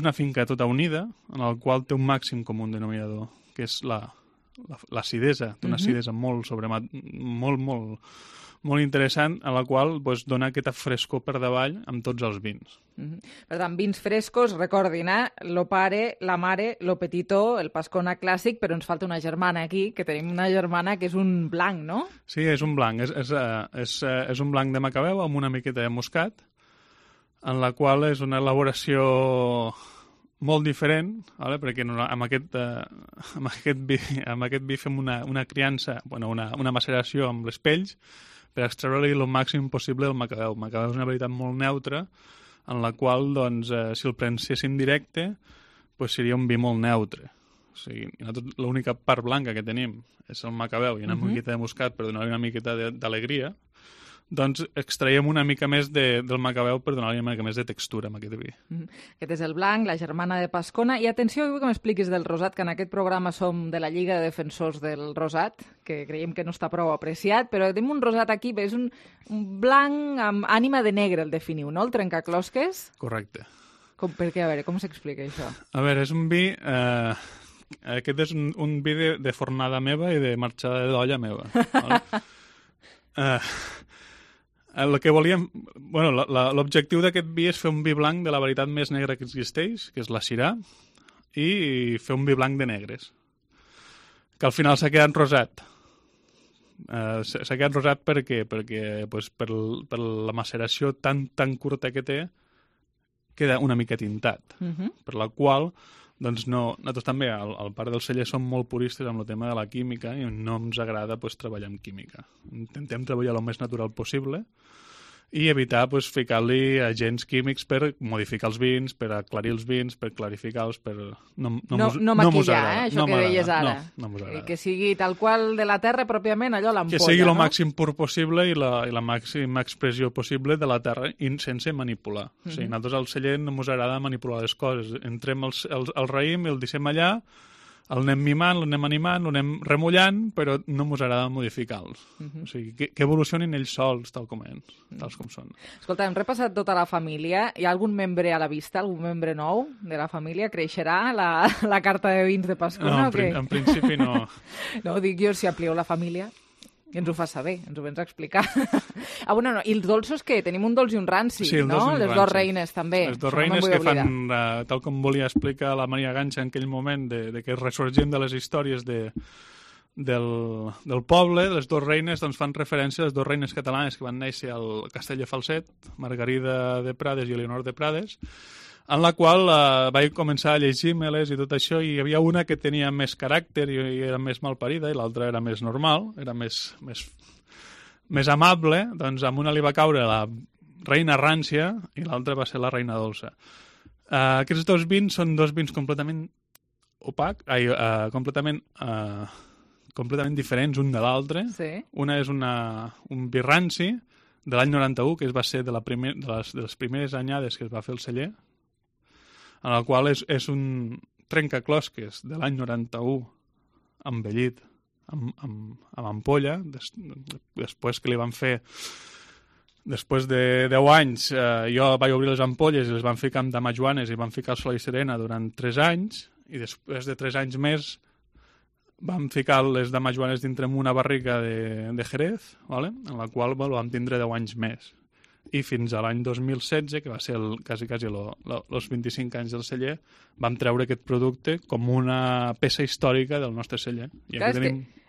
una finca tota unida en la qual té un màxim comú denominador, que és l'acidesa, d'una acidesa molt interessant, a la qual dona aquesta frescor per davall amb tots els vins. Per tant, vins frescos, recordin, lo pare, la mare, lo petitó, el Pascona clàssic, però ens falta una germana aquí, que tenim una germana que és un blanc, no? Sí, és un blanc. És un blanc de Macabeu amb una miqueta de moscat, en la qual és una elaboració molt diferent, ¿vale? Perquè amb aquest vi fem una criança, una maceració amb les pells per extreure-li el màxim possible del Macabeu. El Macabeu és una varietat molt neutra, en la qual, doncs, si el prenséssim directe, seria un vi molt neutre. O sigui, l'única part blanca que tenim és el Macabeu i una miqueta de moscat per donar-li una miqueta d'alegria, doncs extraiem una mica més del Macabeu per donar-li una mica més de textura amb aquest vi. Aquest és el blanc, la germana de Pascona. I atenció, vull que m'expliquis del rosat, que en aquest programa som de la Lliga de Defensors del Rosat, que creiem que no està prou apreciat, però tenim un rosat aquí, és un blanc amb ànima de negre, el definiu, no? El trencaclosques? Correcte. Per què? A veure, com s'explica això? A veure, és un vi... Aquest és un vi de fornada meva i de marxada d'olla meva. El que volíem... Bueno, l'objectiu d'aquest vi és fer un vi blanc de la varietat més negra que existeix, que és la Syrah, i fer un vi blanc de negres, que al final s'ha quedat rosat. S'ha quedat rosat perquè pues, per la maceració tan curta que té, queda una mica tintat, per la qual doncs nosaltres també al Parc del Celler som molt puristes amb el tema de la química i no ens agrada pues, treballar amb química. Intentem treballar el més natural possible i evitar pues, ficar-li agents químics per modificar els vins, per aclarir els vins, per clarificar-los, per... No maquillar, això que deies ara. No mos agrada. Que sigui tal qual de la terra, pròpiament, allò l'ampolla, que sigui el màxim pur possible i la màxima expressió possible de la terra i sense manipular. O sigui, nosaltres al celler no mos agrada manipular les coses. Entrem al raïm i el deixem allà, el anem mimant, l'anem animant, l'anem remullant, però no mos agrada modificar-los. O sigui, que evolucionin ells sols, tal com són. Escolta, hem repassat tota la família. Hi ha algun membre a la vista, algun membre nou de la família? Creixerà la carta de vins de Pascona? No, en principi no. No, dic jo, si amplieu la família. I ens ho fas saber, ens ho vens a explicar. Bueno, no, i els dolços què? Tenim un dolç i un ranci, sí, no? Les dos reines, també. Les dos reines que fan, tal com volia explicar la Maria Ganxa en aquell moment, de que ressorgim de les històries del poble, les dos reines doncs, fan referència a les dos reines catalanes que van néixer al Castell de Falset, Margarida de Prades i Eleonor de Prades, en la qual vaig començar a llegir-me-les i tot això, i hi havia una que tenia més caràcter i era més malparida i l'altra era més normal, era més amable. Doncs amb una li va caure la reina rància i l'altra va ser la reina dolça. Aquests dos vins són dos vins completament completament diferents un de l'altre. Sí. Una és un vi ranci de l'any 91, que va ser de les primeres anyades que es va fer el celler, en el qual és un trencaclosques de l'any 91 envellit amb ampolla, després que li van fer, després de 10 anys, jo vaig obrir les ampolles i les van ficar amb damajuanes i van ficar el Sol i Serena durant 3 anys, i després de 3 anys més vam ficar les damajuanes dintre una barrica de Jerez, ¿vale? En la qual vam tindre 10 anys més. I fins a l'any 2016, que va ser quasi els 25 anys del celler, vam treure aquest producte com una peça històrica del nostre celler. I clar,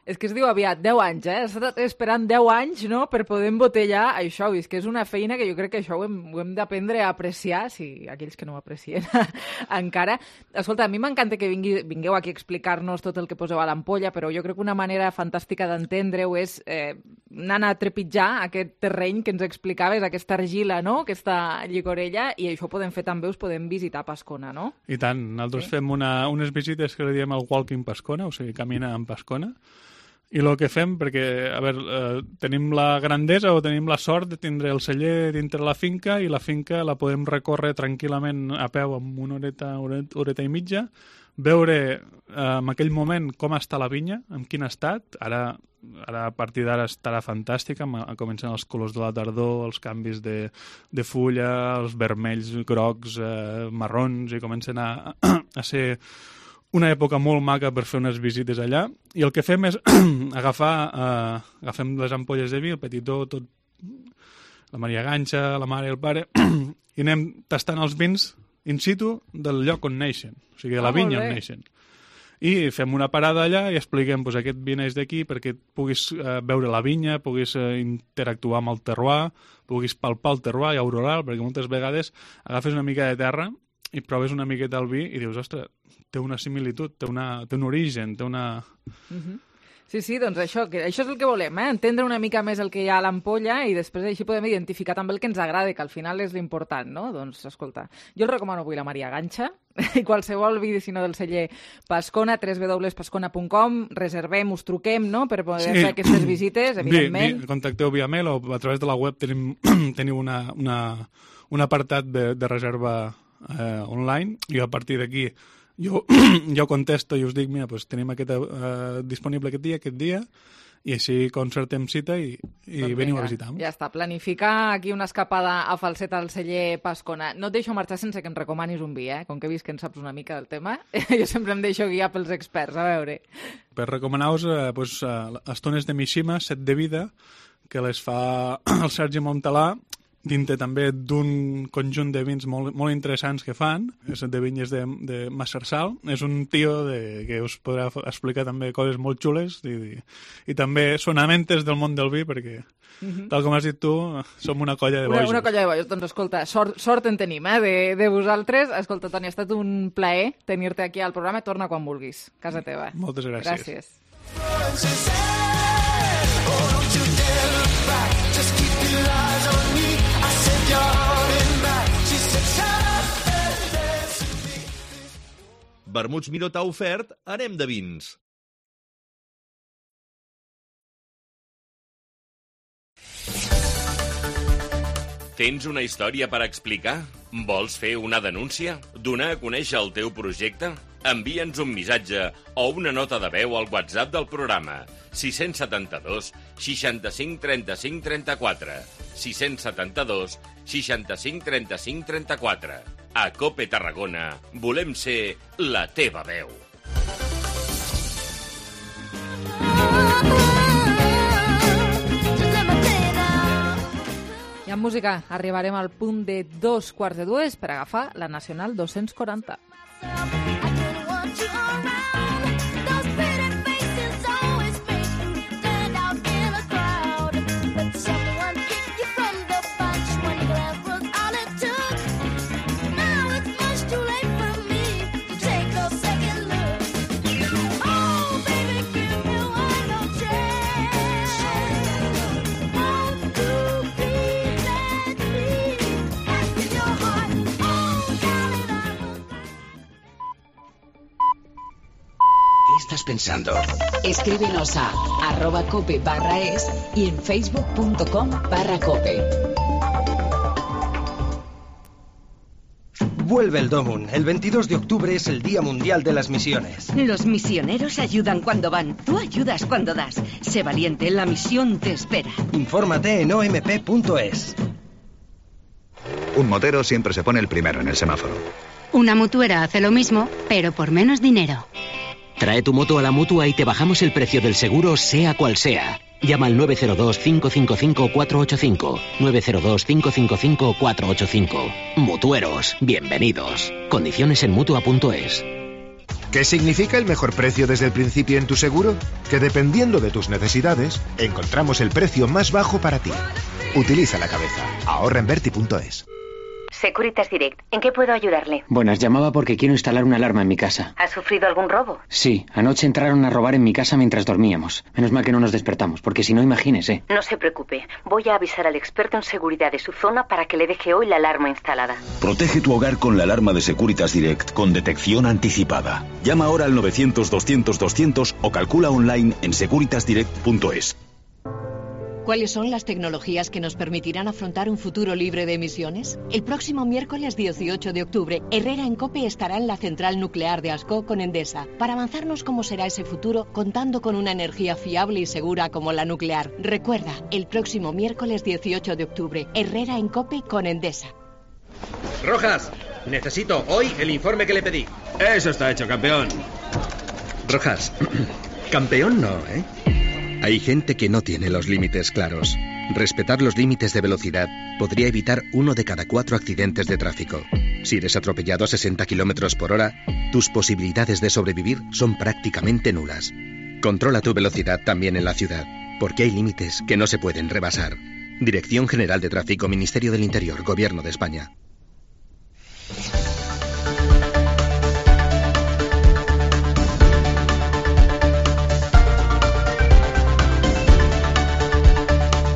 és que es diu aviat, 10 anys, Has estat esperant 10 anys, no?, per poder embotellar això. I és que és una feina que jo crec que això ho hem d'aprendre a apreciar, si aquells que no ho aprecien encara. Escolta, a mi m'encanta que vingueu aquí a explicar-nos tot el que poseu a l'ampolla, però jo crec que una manera fantàstica d'entendre-ho és anar a trepitjar aquest terreny que ens explicaves, aquesta argila, no?, aquesta llicorella, i això ho podem fer també, us podem visitar Pascona, no? I tant, nosaltres fem unes visites que li diem el Walking Pascona, o sigui, camina en Pascona. I el que fem, perquè, a veure, tenim la grandesa o tenim la sort de tindre el celler dintre la finca, i la finca la podem recórrer tranquil·lament a peu en una horeta i mitja, veure en aquell moment com està la vinya, en quin estat. Ara a partir d'ara estarà fantàstica, comencen els colors de la tardor, els canvis de fulla, els vermells, grocs, marrons, i comencen a ser una època molt maca per fer unes visites allà. I el que fem és agafem les ampolles de vi, el petitó, tot, la Maria Ganxa, la mare i el pare, i anem tastant els vins in situ del lloc on neixen, o sigui, de la vinya on neixen. I fem una parada allà i expliquem aquest vi neix d'aquí perquè puguis veure la vinya, puguis interactuar amb el terroir, puguis palpar el terroir i aurorar, perquè moltes vegades agafes una mica de terra i proves una miqueta el vi i dius, ostres, té una similitud, té un origen, té una... Sí, doncs això és el que volem, entendre una mica més el que hi ha a l'ampolla i després així podem identificar també el que ens agrada, que al final és l'important, no? Doncs, escolta, jo el recomano avui la Maria Ganxa i qualsevol vi, si no del celler Pascona, www.pascona.com, reservem, us truquem, no?, per poder fer aquestes visites, evidentment. Contacteu via mail o a través de la web teniu un apartat de reserva online, i a partir d'aquí jo contesto i us dic, mira, tenim disponible aquest dia, i així concertem cita i veniu a visitar. Ja està, planificar aquí una escapada a Falset al celler Pascona. No et deixo marxar sense que em recomanis un vi, com que he vist que en saps una mica del tema. Jo sempre em deixo guiar pels experts, a veure. Per recomanar-vos Estones de Mishima, Set de Vida, que les fa el Sergi Montalà, dintre també d'un conjunt de vins molt interessants que fan, és de vinyes de Massarsal. És un tio que us podrà explicar també coses molt xules i també sonamentes del món del vi, perquè, tal com has dit tu, som una colla de bojos. Una colla de bojos. Doncs escolta, sort en tenim, de vosaltres. Escolta, Toni, ha estat un plaer tenir-te aquí al programa. Torna quan vulguis. Casa teva. Moltes gràcies. Vermuts Miró t'ha ofert Anem de vins. Tens una història per explicar? Vols fer una denúncia? Donar a conèixer el teu projecte? Envia'ns un missatge o una nota de veu al WhatsApp del programa 672 65 35 34 672 65 35 34. A COPE Tarragona volem ser la teva veu. I amb música arribarem al punt de 2:45 per agafar la Nacional 240. ¿Qué estás pensando? Escríbenos a @cope/es y en facebook.com/cope. Vuelve el Domun. El 22 de octubre es el Día Mundial de las Misiones. Los misioneros ayudan cuando van. Tú ayudas cuando das. Sé valiente, la misión te espera. Infórmate en omp.es. Un motero siempre se pone el primero en el semáforo. Una mutuera hace lo mismo, pero por menos dinero. Trae tu moto a la Mutua y te bajamos el precio del seguro, sea cual sea. Llama al 902-555-485. 902-555-485. Mutueros, bienvenidos. Condiciones en Mutua.es. ¿Qué significa el mejor precio desde el principio en tu seguro? Que dependiendo de tus necesidades, encontramos el precio más bajo para ti. Utiliza la cabeza. Ahorra en Verti.es. Securitas Direct, ¿en qué puedo ayudarle? Buenas, llamaba porque quiero instalar una alarma en mi casa. ¿Ha sufrido algún robo? Sí, anoche entraron a robar en mi casa mientras dormíamos. Menos mal que no nos despertamos, porque si no, imagínese. No se preocupe, voy a avisar al experto en seguridad de su zona para que le deje hoy la alarma instalada. Protege tu hogar con la alarma de Securitas Direct con detección anticipada. Llama ahora al 900-200-200 o calcula online en securitasdirect.es. ¿Cuáles son las tecnologías que nos permitirán afrontar un futuro libre de emisiones? El próximo miércoles 18 de octubre, Herrera en COPE estará en la central nuclear de Ascó con Endesa para avanzarnos cómo será ese futuro contando con una energía fiable y segura como la nuclear. Recuerda, el próximo miércoles 18 de octubre, Herrera en COPE con Endesa. Rojas, necesito hoy el informe que le pedí. Eso está hecho, campeón. Rojas, campeón no, ¿eh? Hay gente que no tiene los límites claros. Respetar los límites de velocidad podría evitar 1 de cada 4 accidentes de tráfico. Si eres atropellado a 60 km por hora, tus posibilidades de sobrevivir son prácticamente nulas. Controla tu velocidad también en la ciudad, porque hay límites que no se pueden rebasar. Dirección General de Tráfico, Ministerio del Interior, Gobierno de España.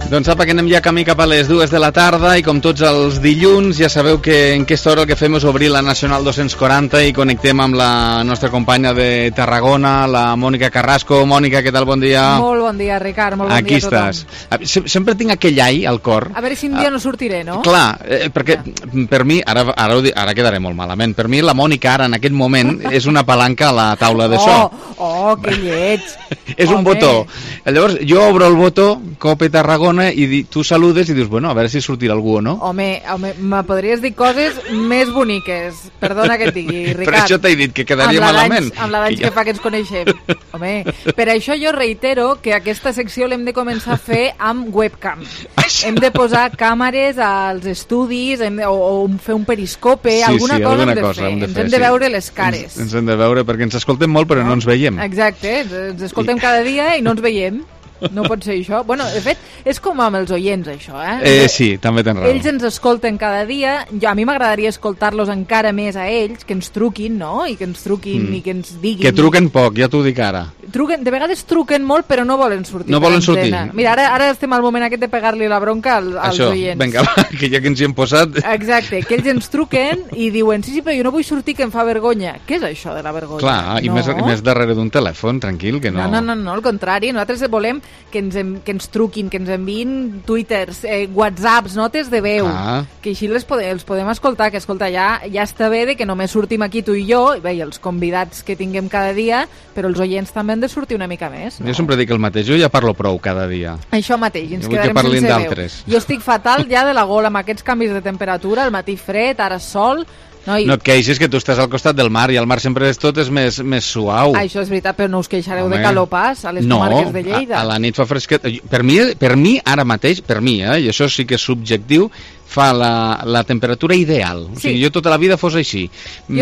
Doncs apa, que anem ja camí cap a les 2 de la tarda i com tots els dilluns ja sabeu que en aquesta hora el que fem és obrir la Nacional 240 i connectem amb la nostra companya de Tarragona, la Mònica Carrasco. Mònica, què tal? Bon dia. Molt bon dia, Ricard, molt bon dia a tothom. Aquí estàs. Sempre tinc aquell ai al cor. A veure si un dia no sortiré, no? Clar, perquè per mi, ara quedaré molt malament, per mi la Mònica ara en aquest moment és una palanca a la taula de so. Oh, que lleig. És un botó. Llavors, jo obro el botó, Cope Tarragona, i tu saludes i dius, bueno, a veure si sortirà algú o no. Home, me podries dir coses més boniques. Perdona que et digui, Ricard. Per això t'he dit que quedaria malament. Amb la d'anys que fa que ens coneixem. Home, per això jo reitero que aquesta secció l'hem de començar a fer amb webcam. Hem de posar càmeres als estudis, o fer un periscope, alguna cosa hem de fer. Ens hem de veure les cares. Ens hem de veure, perquè ens escoltem molt però no ens veiem. Exacte, ens escoltem cada dia i no ens veiem. No pot ser això. Bueno, de fet, és com amb els oients, això, Sí, també tens raó. Ells ens escolten cada dia. A mi m'agradaria escoltar-los encara més a ells, que ens truquin, no? I que ens truquin i que ens diguin. Que truquen poc, ja t'ho dic ara. De vegades truquen molt, però no volen sortir. No volen sortir. Mira, ara estem al moment aquest de pegar-li la bronca als oients. Vinga, va, que ja que ens hi hem posat... Exacte, que ells ens truquen i diuen, sí, però jo no vull sortir, que em fa vergonya. Què és això de la vergonya? Clar, i més darrere d'un telèfon, tranquil, que no... No, al contrari, nosaltres volem que ens truquin, que ens enviïn twitters, whatsapps, notes de veu, que així els podem escoltar, que escolta, ja està bé de que només sortim aquí tu i jo, i bé, els convidats que tinguem cada dia, però els oients també han de sortir una mica més. No? Jo sempre dic el mateix, jo ja parlo prou cada dia. Això mateix, ens quedarem sense veu. Jo estic fatal ja de la gola amb aquests canvis de temperatura, el matí fred, ara sol... No et queixis, que tu estàs al costat del mar i el mar sempre tot és més suau. Això és veritat, però no us queixareu de calor pas a les comarques de Lleida. A la nit fa fresquet. Per mi ara mateix, i això sí que és subjectiu, fa la temperatura ideal. O sigui, jo tota la vida fos així.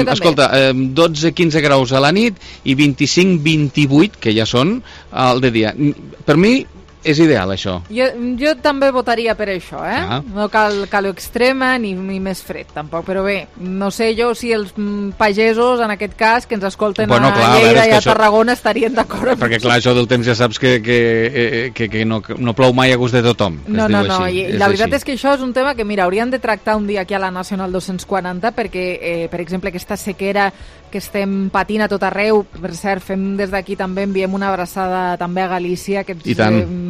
Escolta, 12-15 graus a la nit i 25-28, que ja són, al de dia. Per mi és ideal, això. Jo també votaria per això, No cal calor extrema ni més fred, tampoc, però bé, no sé jo si els pagesos, en aquest cas, que ens escolten a Lleida i a Tarragona estarien d'acord. Perquè clar, això del temps ja saps que no plou mai a gust de tothom. No, i la veritat és que això és un tema que, mira, hauríem de tractar un dia aquí a la Nacional 240, perquè, per exemple, aquesta sequera que estem patint a tot arreu, per cert, fem des d'aquí també, enviem una abraçada també a Galícia, aquests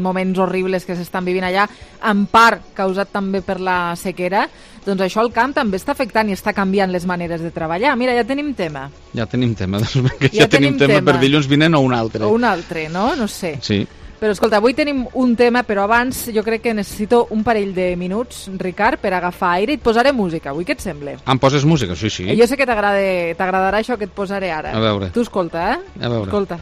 moments horribles que s'estan vivint allà, en part causat també per la sequera, doncs això al camp també està afectant i està canviant les maneres de treballar. Mira, ja tenim tema. Ja tenim tema, ja tenim tema per dilluns vinent o un altre. O un altre, no? No sé. Sí. Però escolta, avui tenim un tema, però abans jo crec que necessito un parell de minuts, Ricard, per agafar aire i et posaré música. Avui què et sembla? Em poses música? Sí. Jo sé que t'agradarà això que et posaré ara. A veure. Tu escolta, A veure. Escolta.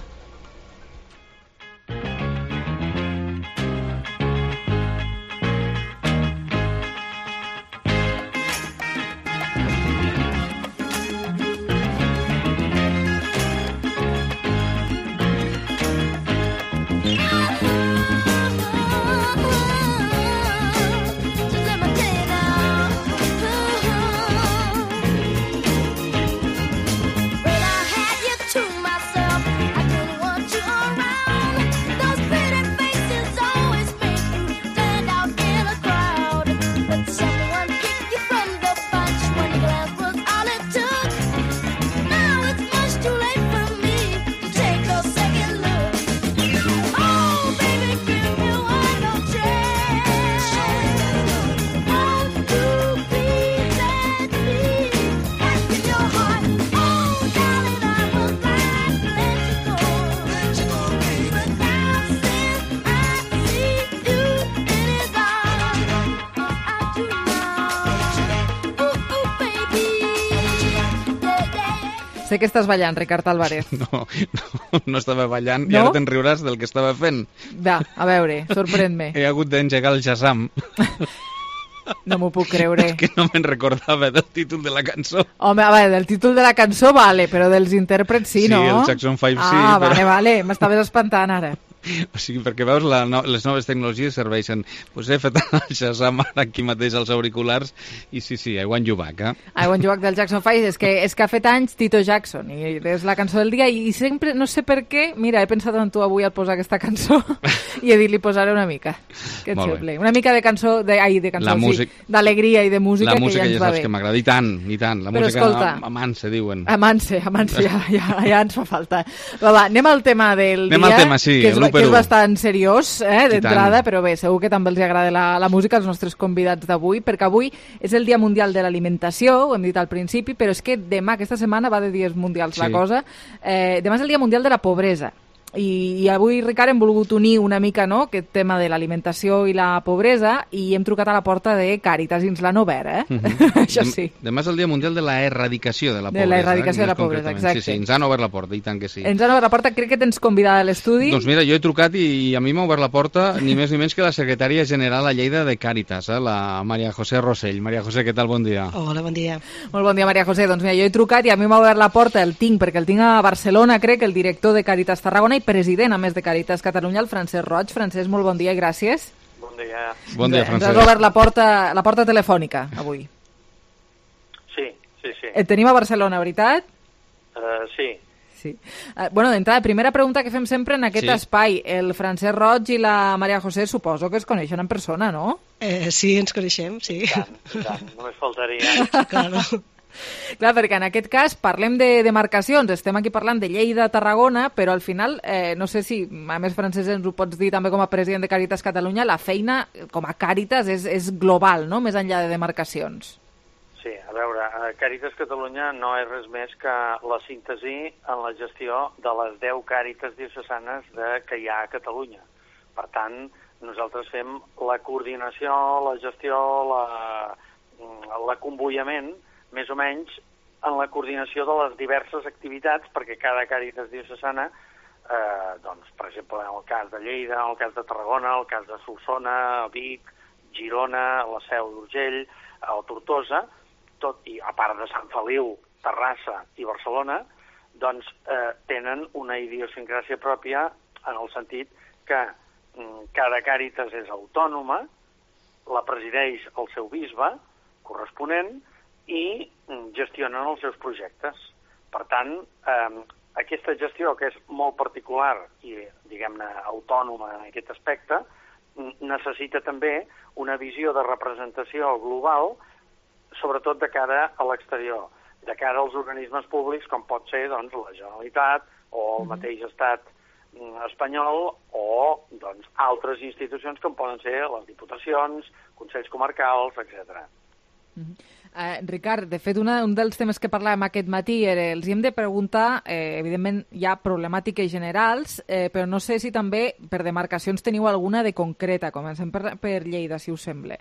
Sé que estàs ballant, Ricard Álvarez. No estava ballant, i ara te'n riuràs del que estava fent. Va, a veure, sorprèn-me. He hagut d'engegar el Shazam. No m'ho puc creure. Que no me'n recordava del títol de la cançó. Home, a veure, del títol de la cançó vale, però dels intèrprets sí, no? Sí, el Jackson 5 sí. Però... vale, m'estaves espantant ara. O sigui, perquè veus, les noves tecnologies serveixen. Pues he fet el Shazam aquí mateix als auriculars i sí, I Want You Back, I Want You Back del Jackson 5 és que ha fet anys Tito Jackson i és la cançó del dia i sempre, no sé per què, mira, he pensat en tu avui al posar aquesta cançó i he dit, li posaré una mica. Què et sembla? Una mica de cançó, d'alegria i de música que ja ens va bé. La música ja saps que m'agrada, i tant. La música amanse, diuen. Amanse, ja ens fa falta. Va, anem al tema del dia. Anem al tema, sí, que és bastant seriós d'entrada, però bé, segur que també els agrada la música als nostres convidats d'avui, perquè avui és el Dia Mundial de l'Alimentació, ho hem dit al principi, però és que demà, aquesta setmana, va de dies mundials la cosa, demà és el Dia Mundial de la Pobresa. I avui, Ricard, hem volgut unir una mica, no?, aquest tema de l'alimentació i la pobresa, i hem trucat a la porta de Càritas i ens l'han obert, Això sí. Demà és el Dia Mundial de la Erradicació de la Pobresa. De la erradicació de la pobresa, exacte. Sí, ens han obert la porta, i tant que sí. Ens han obert la porta, crec que tens convidada a l'estudi. Doncs mira, jo he trucat i a mi m'ha obert la porta ni més ni menys que la secretària general a Lleida de Càritas, la Maria José Rossell. Maria José, què tal? Bon dia. Hola, bon dia. Molt bon dia, Maria José. Doncs mira, jo he trucat i a mi m'ha obert la porta, perquè el tinc a Barcelona, crec, el director de Càritas Tarragona i president, a més de Càritas Catalunya, el Francesc Roig. Francesc, molt bon dia i gràcies. Bon dia. Bon dia, Francesc. Ens has obert la porta telefònica, avui. Sí. Et tenim a Barcelona, veritat? Sí. Bueno, d'entrada, primera pregunta que fem sempre en aquest espai. El Francesc Roig i la Maria José suposo que es coneixen en persona, no? Sí, ens coneixem, sí. I tant, només faltaria. Claro. Clar, perquè en aquest cas parlem de demarcacions, estem aquí parlant de Lleida, Tarragona, però al final, no sé si, a més, Francesc, ens ho pots dir també com a president de Càritas Catalunya, la feina com a Càritas és global, no?, més enllà de demarcacions. Sí, a veure, Càritas Catalunya no és res més que la síntesi en la gestió de les 10 Càritas diocesanes que hi ha a Catalunya. Per tant, nosaltres fem la coordinació, la gestió, l'acomboiament, més o menys, en la coordinació de les diverses activitats, perquè cada Càritas diocesana, doncs, per exemple, en el cas de Lleida, en el cas de Tarragona, en el cas de Solsona, Vic, Girona, la Seu d'Urgell, o Tortosa, tot, i a part de Sant Feliu, Terrassa i Barcelona, doncs tenen una idiosincràsia pròpia en el sentit que cada Càritas és autònoma, la presideix el seu bisbe corresponent i gestionen els seus projectes. Per tant, aquesta gestió, que és molt particular i, diguem-ne, autònoma en aquest aspecte, necessita també una visió de representació global, sobretot de cara a l'exterior, de cara als organismes públics, com pot ser doncs, la Generalitat o el mateix estat espanyol o doncs, altres institucions com poden ser les diputacions, consells comarcals, etc. Ricard, de fet, un dels temes que parlàvem aquest matí era, els hem de preguntar, evidentment hi ha problemàtiques generals, però no sé si també per demarcacions teniu alguna de concreta. Comencem per Lleida, si us sembla.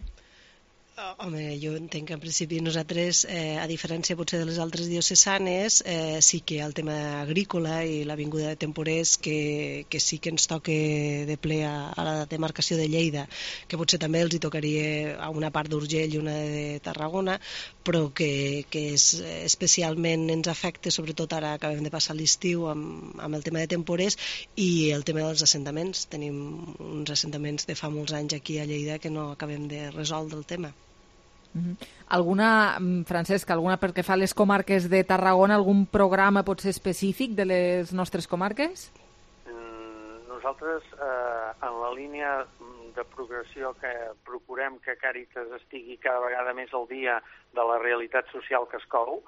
Home, jo entenc que en principi nosaltres, a diferència potser de les altres diocesanes, sí que el tema agrícola i la vinguda de temporers que sí que ens toca de ple a la demarcació de Lleida, que potser també els hi tocaria a una part d'Urgell i una de Tarragona, però que especialment ens afecta, sobretot ara acabem de passar l'estiu amb el tema de temporers i el tema dels assentaments. Tenim uns assentaments de fa molts anys aquí a Lleida que no acabem de resoldre el tema. Alguna, Francesc, pel que fa a les comarques de Tarragona, algun programa potser específic de les nostres comarques? Nosaltres, en la línia de progressió que procurem que Càritas estigui cada vegada més al dia de la realitat social que es cou,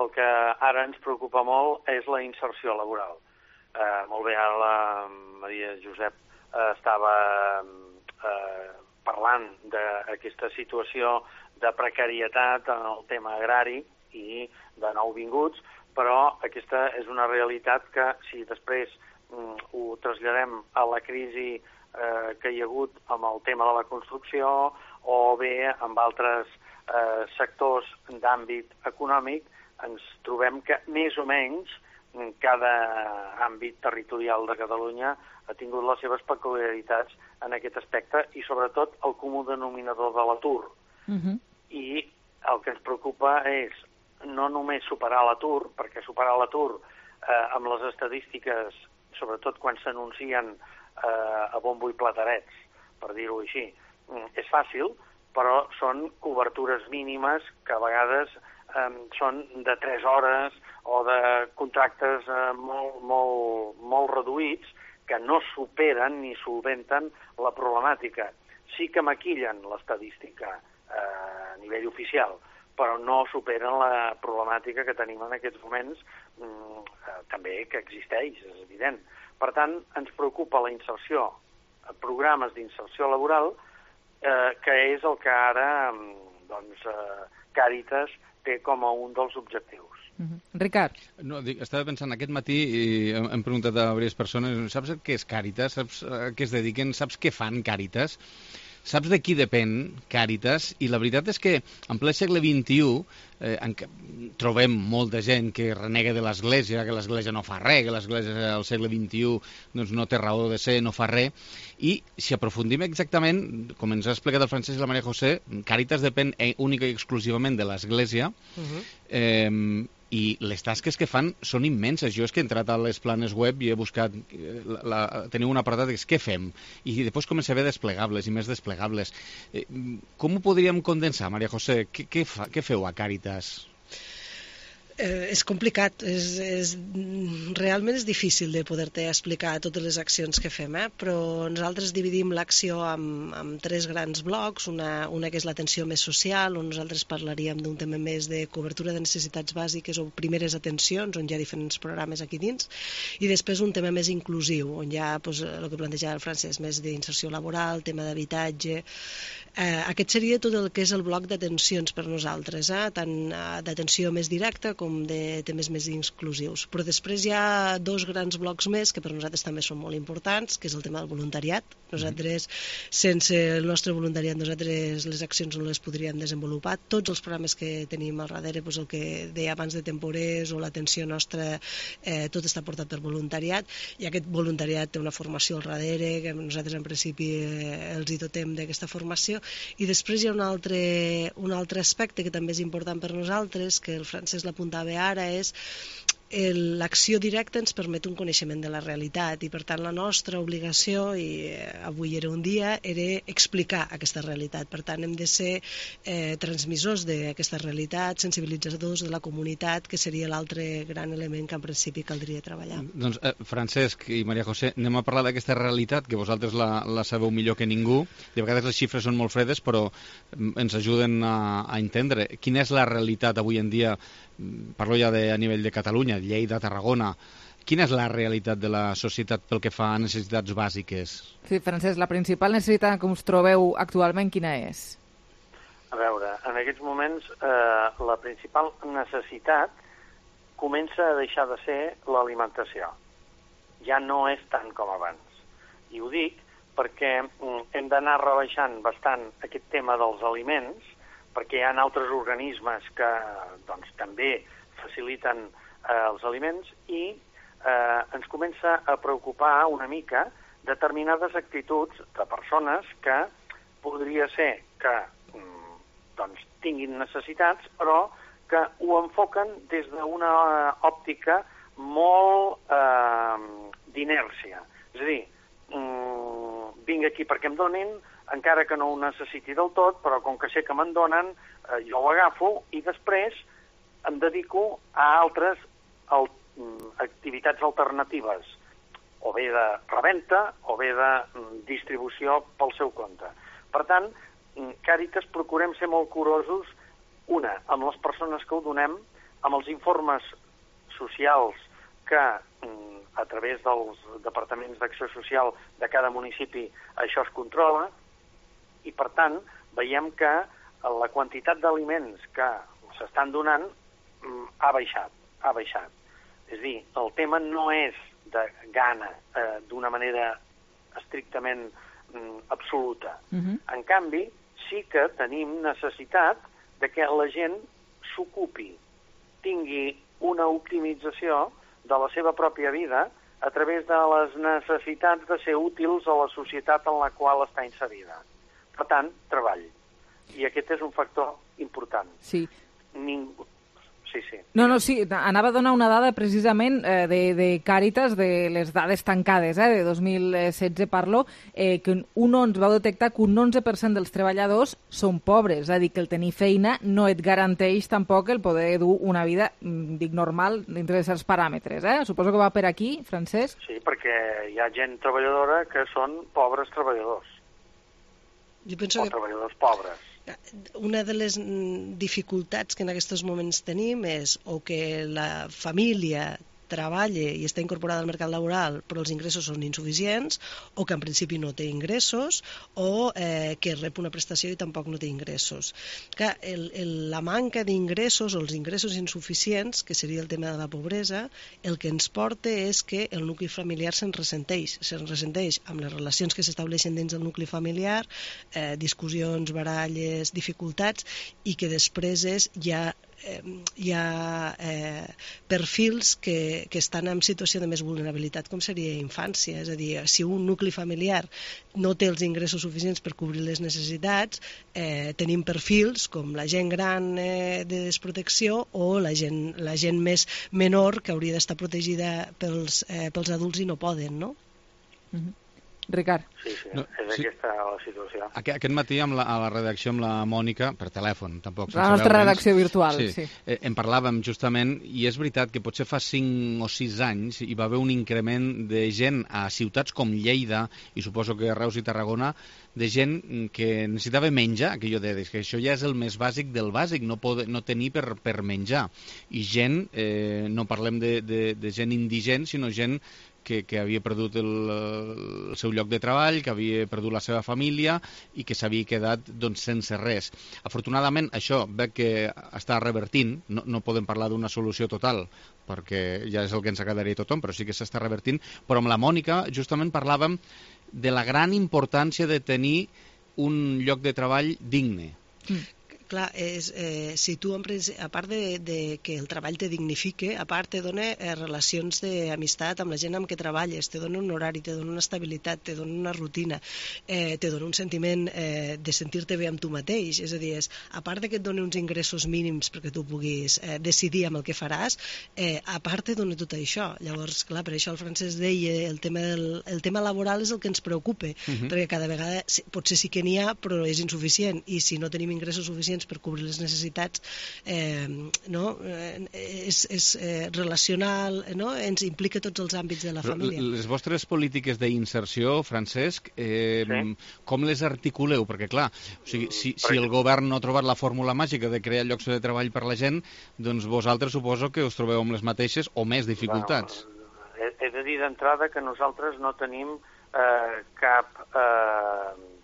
el que ara ens preocupa molt és la inserció laboral. Molt bé, ara la Maria Josep estava parlant d'aquesta situació de precarietat en el tema agrari i de nouvinguts, però aquesta és una realitat que si després ho traslladem a la crisi que hi ha hagut amb el tema de la construcció o bé amb altres sectors d'àmbit econòmic, ens trobem que més o menys cada àmbit territorial de Catalunya ha tingut les seves peculiaritats en aquest aspecte i sobretot el comú denominador de l'atur. I el que ens preocupa és no només superar l'atur, perquè superar l'atur amb les estadístiques, sobretot quan s'anuncien a bombo i platerets, per dir-ho així, és fàcil, però són cobertures mínimes que a vegades són de 3 hores o de contractes molt reduïts que no superen ni solventen la problemàtica. Sí que maquillen l'estadística a nivell oficial, però no superen la problemàtica que tenim en aquests moments, també que existeix, és evident. Per tant, ens preocupa la inserció, programes d'inserció laboral, que és el que ara Càritas té com a un dels objectius. Ricard. No, estava pensant aquest matí i hem preguntat a diverses persones, saps què és Càritas? Saps a què es dediquen? Saps què fan Càritas? Saps de qui depèn Càritas? I la veritat és que en ple segle XXI trobem molta gent que renega de l'Església, que l'Església no fa res, que l'Església al segle XXI doncs, no té raó de ser, no fa res. I si aprofundim exactament, com ens ha explicat el Francesc i la Maria José, Càritas depèn única i exclusivament de l'Església, i les tasques que fan són immenses. Jo és que he entrat a les planes web i he buscat, teniu un apartat que és què fem, i després comença a haver desplegables i més desplegables. Com ho podríem condensar, Maria José? Què feu a Càritas? És complicat, realment és difícil de poder-te explicar totes les accions que fem, però nosaltres dividim l'acció en 3 grans blocs, una que és l'atenció més social, on nosaltres parlaríem d'un tema més de cobertura de necessitats bàsiques o primeres atencions, on hi ha diferents programes aquí dins, i després un tema més inclusiu, on hi ha el que plantejava el Francesc, més d'inserció laboral, tema d'habitatge. Aquest seria tot el que és el bloc d'atencions per nosaltres, tant d'atenció més directa com de temes més inclusius. Però després hi ha 2 grans blocs més que per nosaltres també són molt importants, que és el tema del voluntariat. Nosaltres, sense el nostre voluntariat, nosaltres les accions no les podríem desenvolupar. Tots els programes que tenim al darrere, el que deia abans de temporers o l'atenció nostra, tot està portat per voluntariat, i aquest voluntariat té una formació al darrere, que nosaltres en principi els hi dotem d'aquesta formació. I després hi ha un altre aspecte que també és important per nosaltres, que el Francesc l'apuntava ara, és l'acció directa ens permet un coneixement de la realitat, i per tant la nostra obligació, i avui era un dia, era explicar aquesta realitat. Per tant hem de ser transmissors d'aquesta realitat, sensibilitzadors de la comunitat, que seria l'altre gran element que en principi caldria treballar. Doncs Francesc i Maria José, anem a parlar d'aquesta realitat, que vosaltres la sabeu millor que ningú. De vegades les xifres són molt fredes, però ens ajuden a entendre quina és la realitat avui en dia. Parlo ja a nivell de Catalunya, Lleida, Tarragona. Quina és la realitat de la societat pel que fa a necessitats bàsiques? Sí, Francesc, la principal necessitat que us trobeu actualment, quina és? A veure, en aquests moments la principal necessitat comença a deixar de ser l'alimentació. Ja no és tant com abans. I ho dic perquè hem d'anar rebaixant bastant aquest tema dels aliments, perquè hi ha altres organismes que també faciliten els aliments, i ens comença a preocupar una mica determinades actituds de persones que podria ser que tinguin necessitats, però que ho enfoquen des d'una òptica molt d'inèrcia. És a dir, vinc aquí perquè em donin, encara que no ho necessiti del tot, però com que sé que me'n donen, jo ho agafo i després em dedico a altres activitats alternatives, o bé de reventa o bé de distribució pel seu compte. Per tant, Càritas procurem ser molt curosos, amb les persones que ho donem, amb els informes socials que a través dels departaments d'acció social de cada municipi això es controla, i per tant veiem que la quantitat d'aliments que s'estan donant ha baixat. És a dir, el tema no és de gana d'una manera estrictament absoluta. En canvi, sí que tenim necessitat de que la gent s'ocupi, tingui una optimització de la seva pròpia vida a través de les necessitats de ser útils a la societat en la qual està inserida. Per tant, treball. I aquest és un factor important. Sí. Sí. Sí, anava a donar una dada precisament de Càritas, de les dades tancades, de 2016 parlo, que vau detectar que un 11% dels treballadors són pobres, és a dir, que el tenir feina no et garanteix tampoc el poder dur una vida, normal, dintre de certs paràmetres. Suposo que va per aquí, Francesc? Sí, perquè hi ha gent treballadora que són pobres treballadors. Jo penso que treballadors pobres. Una de les dificultats que en aquests moments tenim és o que la família treballa i està incorporada al mercat laboral però els ingressos són insuficients, o que en principi no té ingressos, o que rep una prestació i tampoc no té ingressos. Clar, la manca d'ingressos o els ingressos insuficients, que seria el tema de la pobresa, el que ens porta és que el nucli familiar se'n ressenteix amb les relacions que s'estableixen dins del nucli familiar, discussions, baralles, dificultats, i que després hi ha perfils que estan en situació de més vulnerabilitat, com seria infància. És a dir, si un nucli familiar no té els ingressos suficients per cobrir les necessitats, tenim perfils com la gent gran de desprotecció o la gent més menor que hauria d'estar protegida pels adults i no poden, no? Ricard. Sí, és aquesta la situació. Aquest matí a la redacció amb la Mònica, per telèfon, tampoc. La nostra redacció virtual, sí. En parlàvem justament, i és veritat que potser fa 5 o 6 anys hi va haver un increment de gent a ciutats com Lleida, i suposo que Reus i Tarragona, de gent que necessitava menjar, que això ja és el més bàsic del bàsic, no tenir per menjar. I gent, no parlem de gent indigent, sinó gent que havia perdut el seu lloc de treball, que havia perdut la seva família i que s'havia quedat sense res. Afortunadament, això veig que està revertint, no podem parlar d'una solució total, perquè ja és el que ens agradaria a tothom, però sí que s'està revertint. Però amb la Mònica justament parlàvem de la gran importància de tenir un lloc de treball digne. Clar, si tu, a part de que el treball te dignifique, a part te dona relacions d'amistat amb la gent amb què treballes, te dona un horari, te dona una estabilitat, te dona una rutina, te dona un sentiment de sentir-te bé amb tu mateix. És a dir, a part de que et dona uns ingressos mínims perquè tu puguis decidir amb el que faràs, a part te dona tot això. Llavors, clar, per això el Francesc deia el tema laboral és el que ens preocupa, perquè cada vegada potser sí que n'hi ha, però és insuficient, i si no tenim ingressos suficients per cobrir les necessitats, és relacional, ens implica tots els àmbits de la família. Les vostres polítiques d'inserció, Francesc, com les articuleu? Perquè, clar, si el govern no ha trobat la fórmula màgica de crear llocs de treball per la gent, doncs vosaltres suposo que us trobeu amb les mateixes o més dificultats. He de dir d'entrada que nosaltres no tenim cap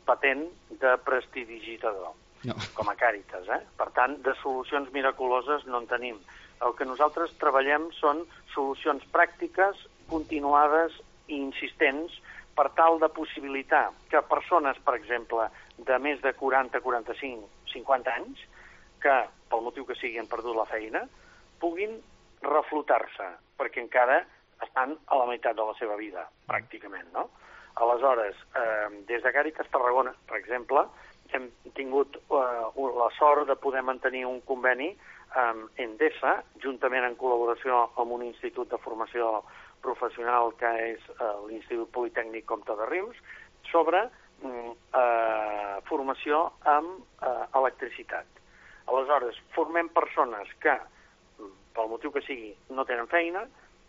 patent de prestidigitador. No. Com a Càritas, Per tant, de solucions miraculoses no en tenim. El que nosaltres treballem són solucions pràctiques, continuades i insistents per tal de possibilitar que persones, per exemple, de més de 40, 45, 50 anys, que pel motiu que sigui han perdut la feina, puguin reflotar-se, perquè encara estan a la meitat de la seva vida, pràcticament, no? Aleshores, des de Càritas Tarragona, per exemple, hem tingut la sort de poder mantenir un conveni amb Endesa, juntament en col·laboració amb un institut de formació professional que és l'Institut Politècnic Comte de Rius, sobre formació amb electricitat. Aleshores, formem persones que, pel motiu que sigui, no tenen feina,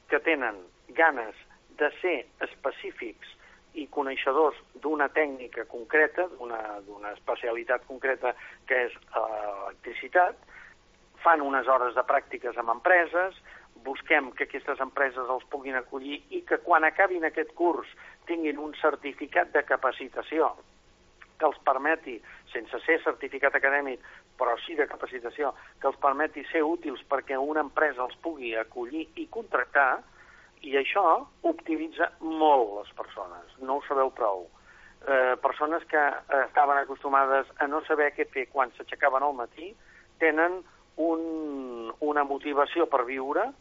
que tenen ganes de ser específics i coneixedors d'una tècnica concreta, d'una especialitat concreta que és electricitat, fan unes hores de pràctiques amb empreses, busquem que aquestes empreses els puguin acollir i que quan acabin aquest curs tinguin un certificat de capacitació que els permeti, sense ser certificat acadèmic, però sí de capacitació, que els permeti ser útils perquè una empresa els pugui acollir i contractar. I això optimitza molt les persones, no ho sabeu prou. Persones que estaven acostumades a no saber què fer quan s'aixecaven al matí, tenen una motivació per viure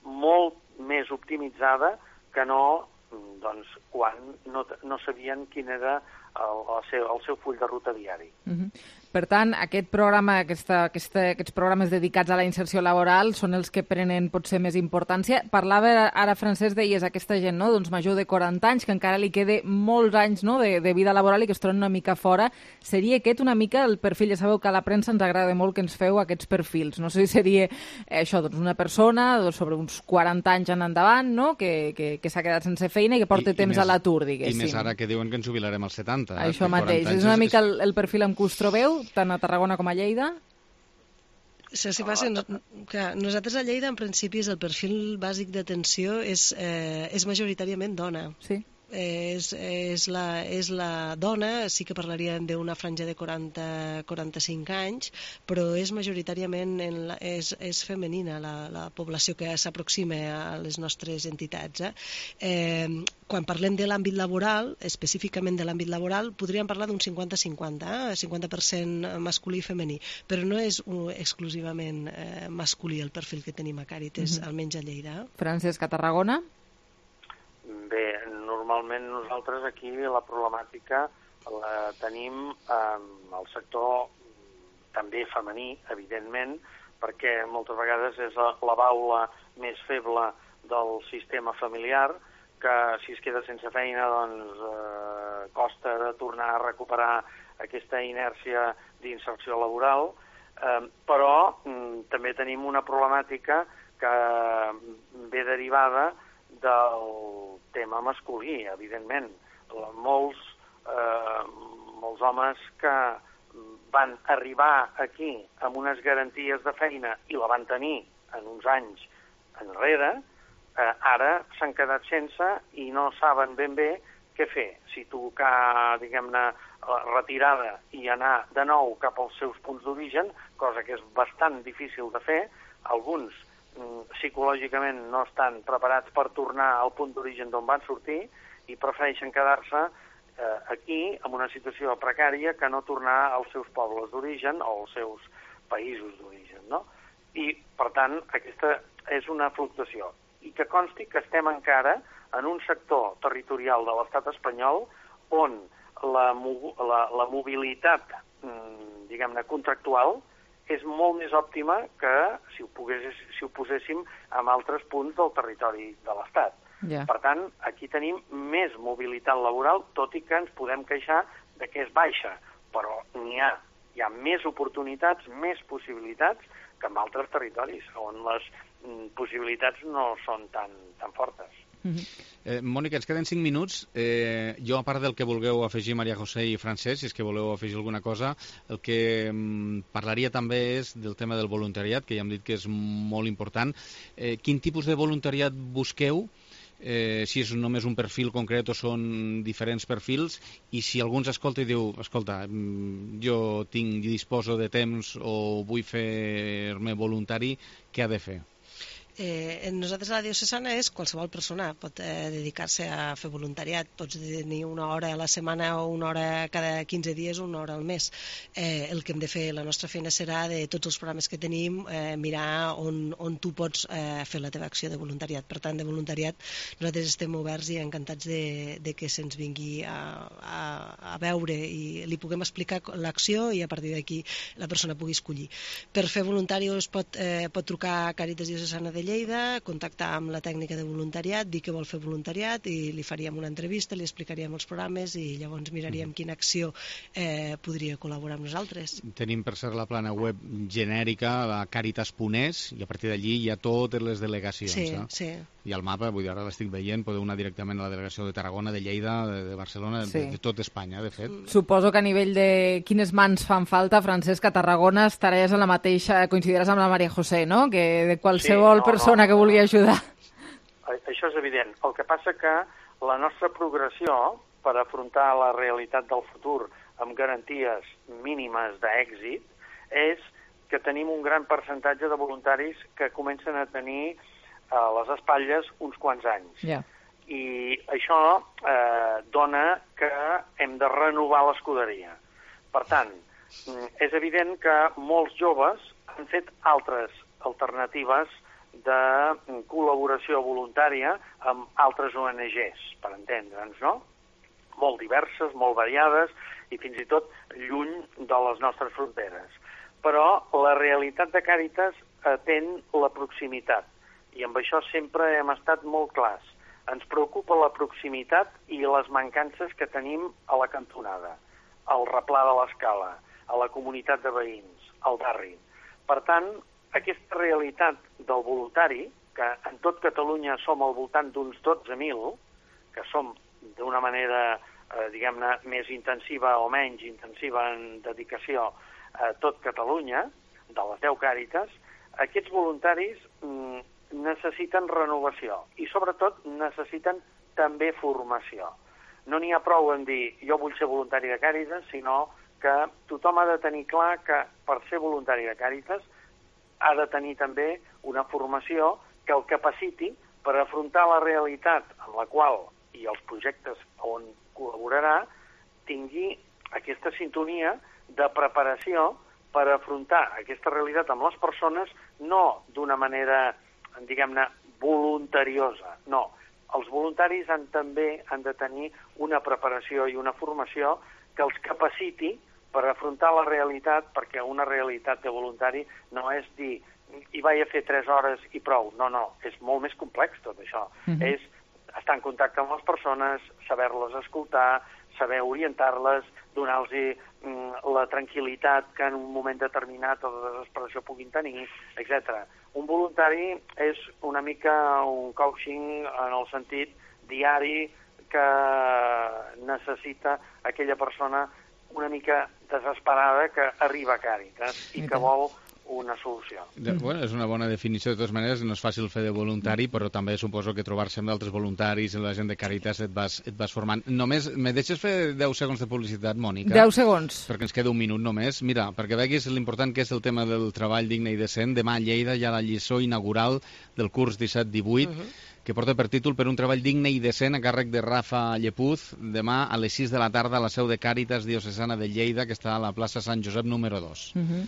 molt més optimitzada que no quan no sabien quin era el seu full de ruta diari. Per tant, aquest programa, aquests programes dedicats a la inserció laboral són els que prenen potser més importància. Parlava ara, Francesc, deies aquesta gent, no? Doncs major de 40 anys, que encara li quede molts anys, no? de vida laboral i que es troben una mica fora. Seria aquest una mica el perfil? Ja sabeu que a la premsa ens agrada molt que ens feu aquests perfils. No sé si seria això, doncs una persona sobre uns 40 anys en endavant, no? que s'ha quedat sense feina i que porta temps a l'atur, diguéssim. I més ara que diuen que ens jubilarem als 70. Això mateix. És una mica el perfil amb què us trobeu, tant a Tarragona com a Lleida? Saps què passa? Nosaltres a Lleida, en principi, el perfil bàsic d'atenció és majoritàriament dona. Sí. És la dona, sí que parlaríem d'una franja de 40-45 anys, però és majoritàriament és femenina la població que s'aproxima a les nostres entitats. Quan parlem de l'àmbit laboral, específicament de l'àmbit laboral, podríem parlar d'un 50-50, 50% masculí i femení, però no és exclusivament masculí el perfil que tenim a Càritas, almenys a Lleida. Francesc, a Tarragona? Bé, normalment nosaltres aquí la problemàtica la tenim al sector també femení, evidentment, perquè moltes vegades és la baula més feble del sistema familiar, que si es queda sense feina doncs costa de tornar a recuperar aquesta inèrcia d'inserció laboral, però també tenim una problemàtica que ve derivada del tema masculí, evidentment. Molts homes que van arribar aquí amb unes garanties de feina i la van tenir en uns anys enrere, ara s'han quedat sense i no saben ben bé què fer. Si tocar, diguem-ne, retirada i anar de nou cap als seus punts d'origen, cosa que és bastant difícil de fer, alguns psicològicament no estan preparats per tornar al punt d'origen d'on van sortir i prefereixen quedar-se aquí en una situació precària que no tornar als seus pobles d'origen o als seus països d'origen, no? I, per tant, aquesta és una fluctuació. I que consti que estem encara en un sector territorial de l'estat espanyol on la mobilitat, diguem-ne, contractual és molt més òptima que si ho poséssim en altres punts del territori de l'Estat. Yeah. Per tant, aquí tenim més mobilitat laboral, tot i que ens podem queixar de que és baixa, però hi ha més oportunitats, més possibilitats que en altres territoris, on les possibilitats no són tan fortes. Mònica, ens queden 5 minuts. Jo, a part del que vulgueu afegir Maria José i Francesc, si és que voleu afegir alguna cosa, el que parlaria també és del tema del voluntariat, que ja hem dit que és molt important. Quin tipus de voluntariat busqueu? Si és només un perfil concret o són diferents perfils, i si algú ens escolta i diu, escolta, jo disposo de temps o vull fer-me voluntari, què ha de fer? Nosaltres a la diocesana és qualsevol persona pot dedicar-se a fer voluntariat. Pots tenir una hora a la setmana o una hora cada 15 dies o una hora al mes. El que hem de fer, la nostra feina serà de tots els programes que tenim, mirar on tu pots fer la teva acció de voluntariat. Per tant, de voluntariat nosaltres estem oberts i encantats de que se'ns vingui a veure i li puguem explicar l'acció i a partir d'aquí la persona pugui escollir. Per fer voluntari es pot trucar a Càritas Diocesana de Lleida, contactar amb la tècnica de voluntariat, dir que vol fer voluntariat i li faríem una entrevista, li explicaríem els programes i llavors miraríem quina acció podria col·laborar amb nosaltres. Tenim per ser la plana web genèrica, la Càritas.es, i a partir d'allí hi ha totes les delegacions. Sí. I el mapa, vull dir, ara l'estic veient, podeu anar directament a la delegació de Tarragona, de Lleida, de Barcelona, de tot Espanya, de fet. Suposo que a nivell de quines mans fan falta, Francesc, a Tarragona estaràs en la mateixa, coincidiràs amb la Maria José, no? Que de qualsevol persona que vulgui ajudar. Això és evident. El que passa que la nostra progressió per afrontar la realitat del futur amb garanties mínimes d'èxit és que tenim un gran percentatge de voluntaris que comencen a tenir a les espatlles uns quants anys. Yeah. I això dona que hem de renovar l'escuderia. Per tant, és evident que molts joves han fet altres alternatives de col·laboració voluntària amb altres ONGs, per entendre'ns, no? Molt diverses, molt variades i fins i tot lluny de les nostres fronteres. Però la realitat de Càritas atén la proximitat i amb això sempre hem estat molt clars. Ens preocupa la proximitat i les mancances que tenim a la cantonada, al replà de l'Escala, a la comunitat de veïns, al barri. Per tant, aquesta realitat del voluntari, que en tot Catalunya som al voltant d'uns 12.000, que som d'una manera, diguem-ne, més intensiva o menys intensiva en dedicació a tot Catalunya, de les 10 Càritas, aquests voluntaris necessiten renovació i, sobretot, necessiten també formació. No n'hi ha prou en dir jo vull ser voluntari de Càritas, sinó que tothom ha de tenir clar que per ser voluntari de Càritas ha de tenir també una formació que el capaciti per afrontar la realitat amb la qual i els projectes on col·laborarà tingui aquesta sintonia de preparació per afrontar aquesta realitat amb les persones, no d'una manera, diguem-ne, voluntariosa, no. Els voluntaris també han de tenir una preparació i una formació que els capaciti per afrontar la realitat, perquè una realitat de voluntari no és dir hi vaig a fer 3 hores i prou. No, és molt més complex tot això. És estar en contacte amb les persones, saber-les escoltar, saber orientar-les, donar-los la tranquil·litat que en un moment determinat o de desesperació puguin tenir, etc. Un voluntari és una mica un coaching en el sentit diari que necessita aquella persona una mica desesperada que arriba a Càritas i que vol una solució. Bueno, és una bona definició, de totes maneres, no és fàcil fer de voluntari, però també suposo que trobar-se amb d'altres voluntaris i la gent de Càritas et vas formant. Només, me deixes fer 10 segons de publicitat, Mònica? 10 segons. Perquè ens queda un minut només. Mira, perquè veguis l'important que és el tema del treball digne i decent. Demà a Lleida hi ha la lliçó inaugural del curs 17-18, que porta per títol Per un treball digne i decent, a càrrec de Rafa Llepuz, demà a les 6 de la tarda a la seu de Càritas Diocesana de Lleida, que està a la plaça Sant Josep número 2.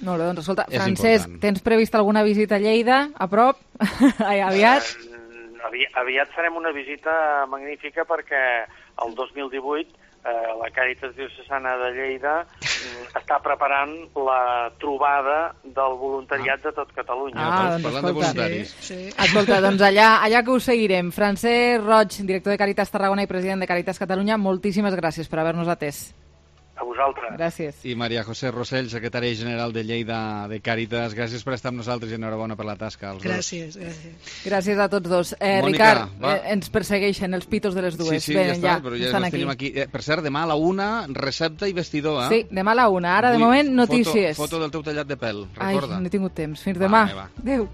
Molt bé, doncs escolta, Francesc, tens previst alguna visita a Lleida, a prop, aviat? Aviat farem una visita magnífica perquè el 2018 la Càritas Diocesana de Lleida està preparant la trobada del voluntariat de tot Catalunya. Doncs parlant de voluntaris. Sí. Escolta, doncs allà que us seguirem. Francesc Roig, director de Càritas Tarragona i president de Càritas Catalunya, moltíssimes gràcies per haver-nos atès. A vosaltres. Gràcies. I Maria José Rossell, secretària general de Lleida de Càritas, gràcies per estar amb nosaltres i enhorabona per la tasca. Gràcies. Gràcies a tots dos. Mònica, Ricard, ens persegueixen els pitos de les dues. Sí, ja està, però ja els tenim aquí. Per cert, demà a la 1, recepta i vestidor, Sí, demà a la 1. Ara, de moment, notícies. Foto del teu tallat de pèl, recorda. Ai, no he tingut temps. Fins demà. Adéu.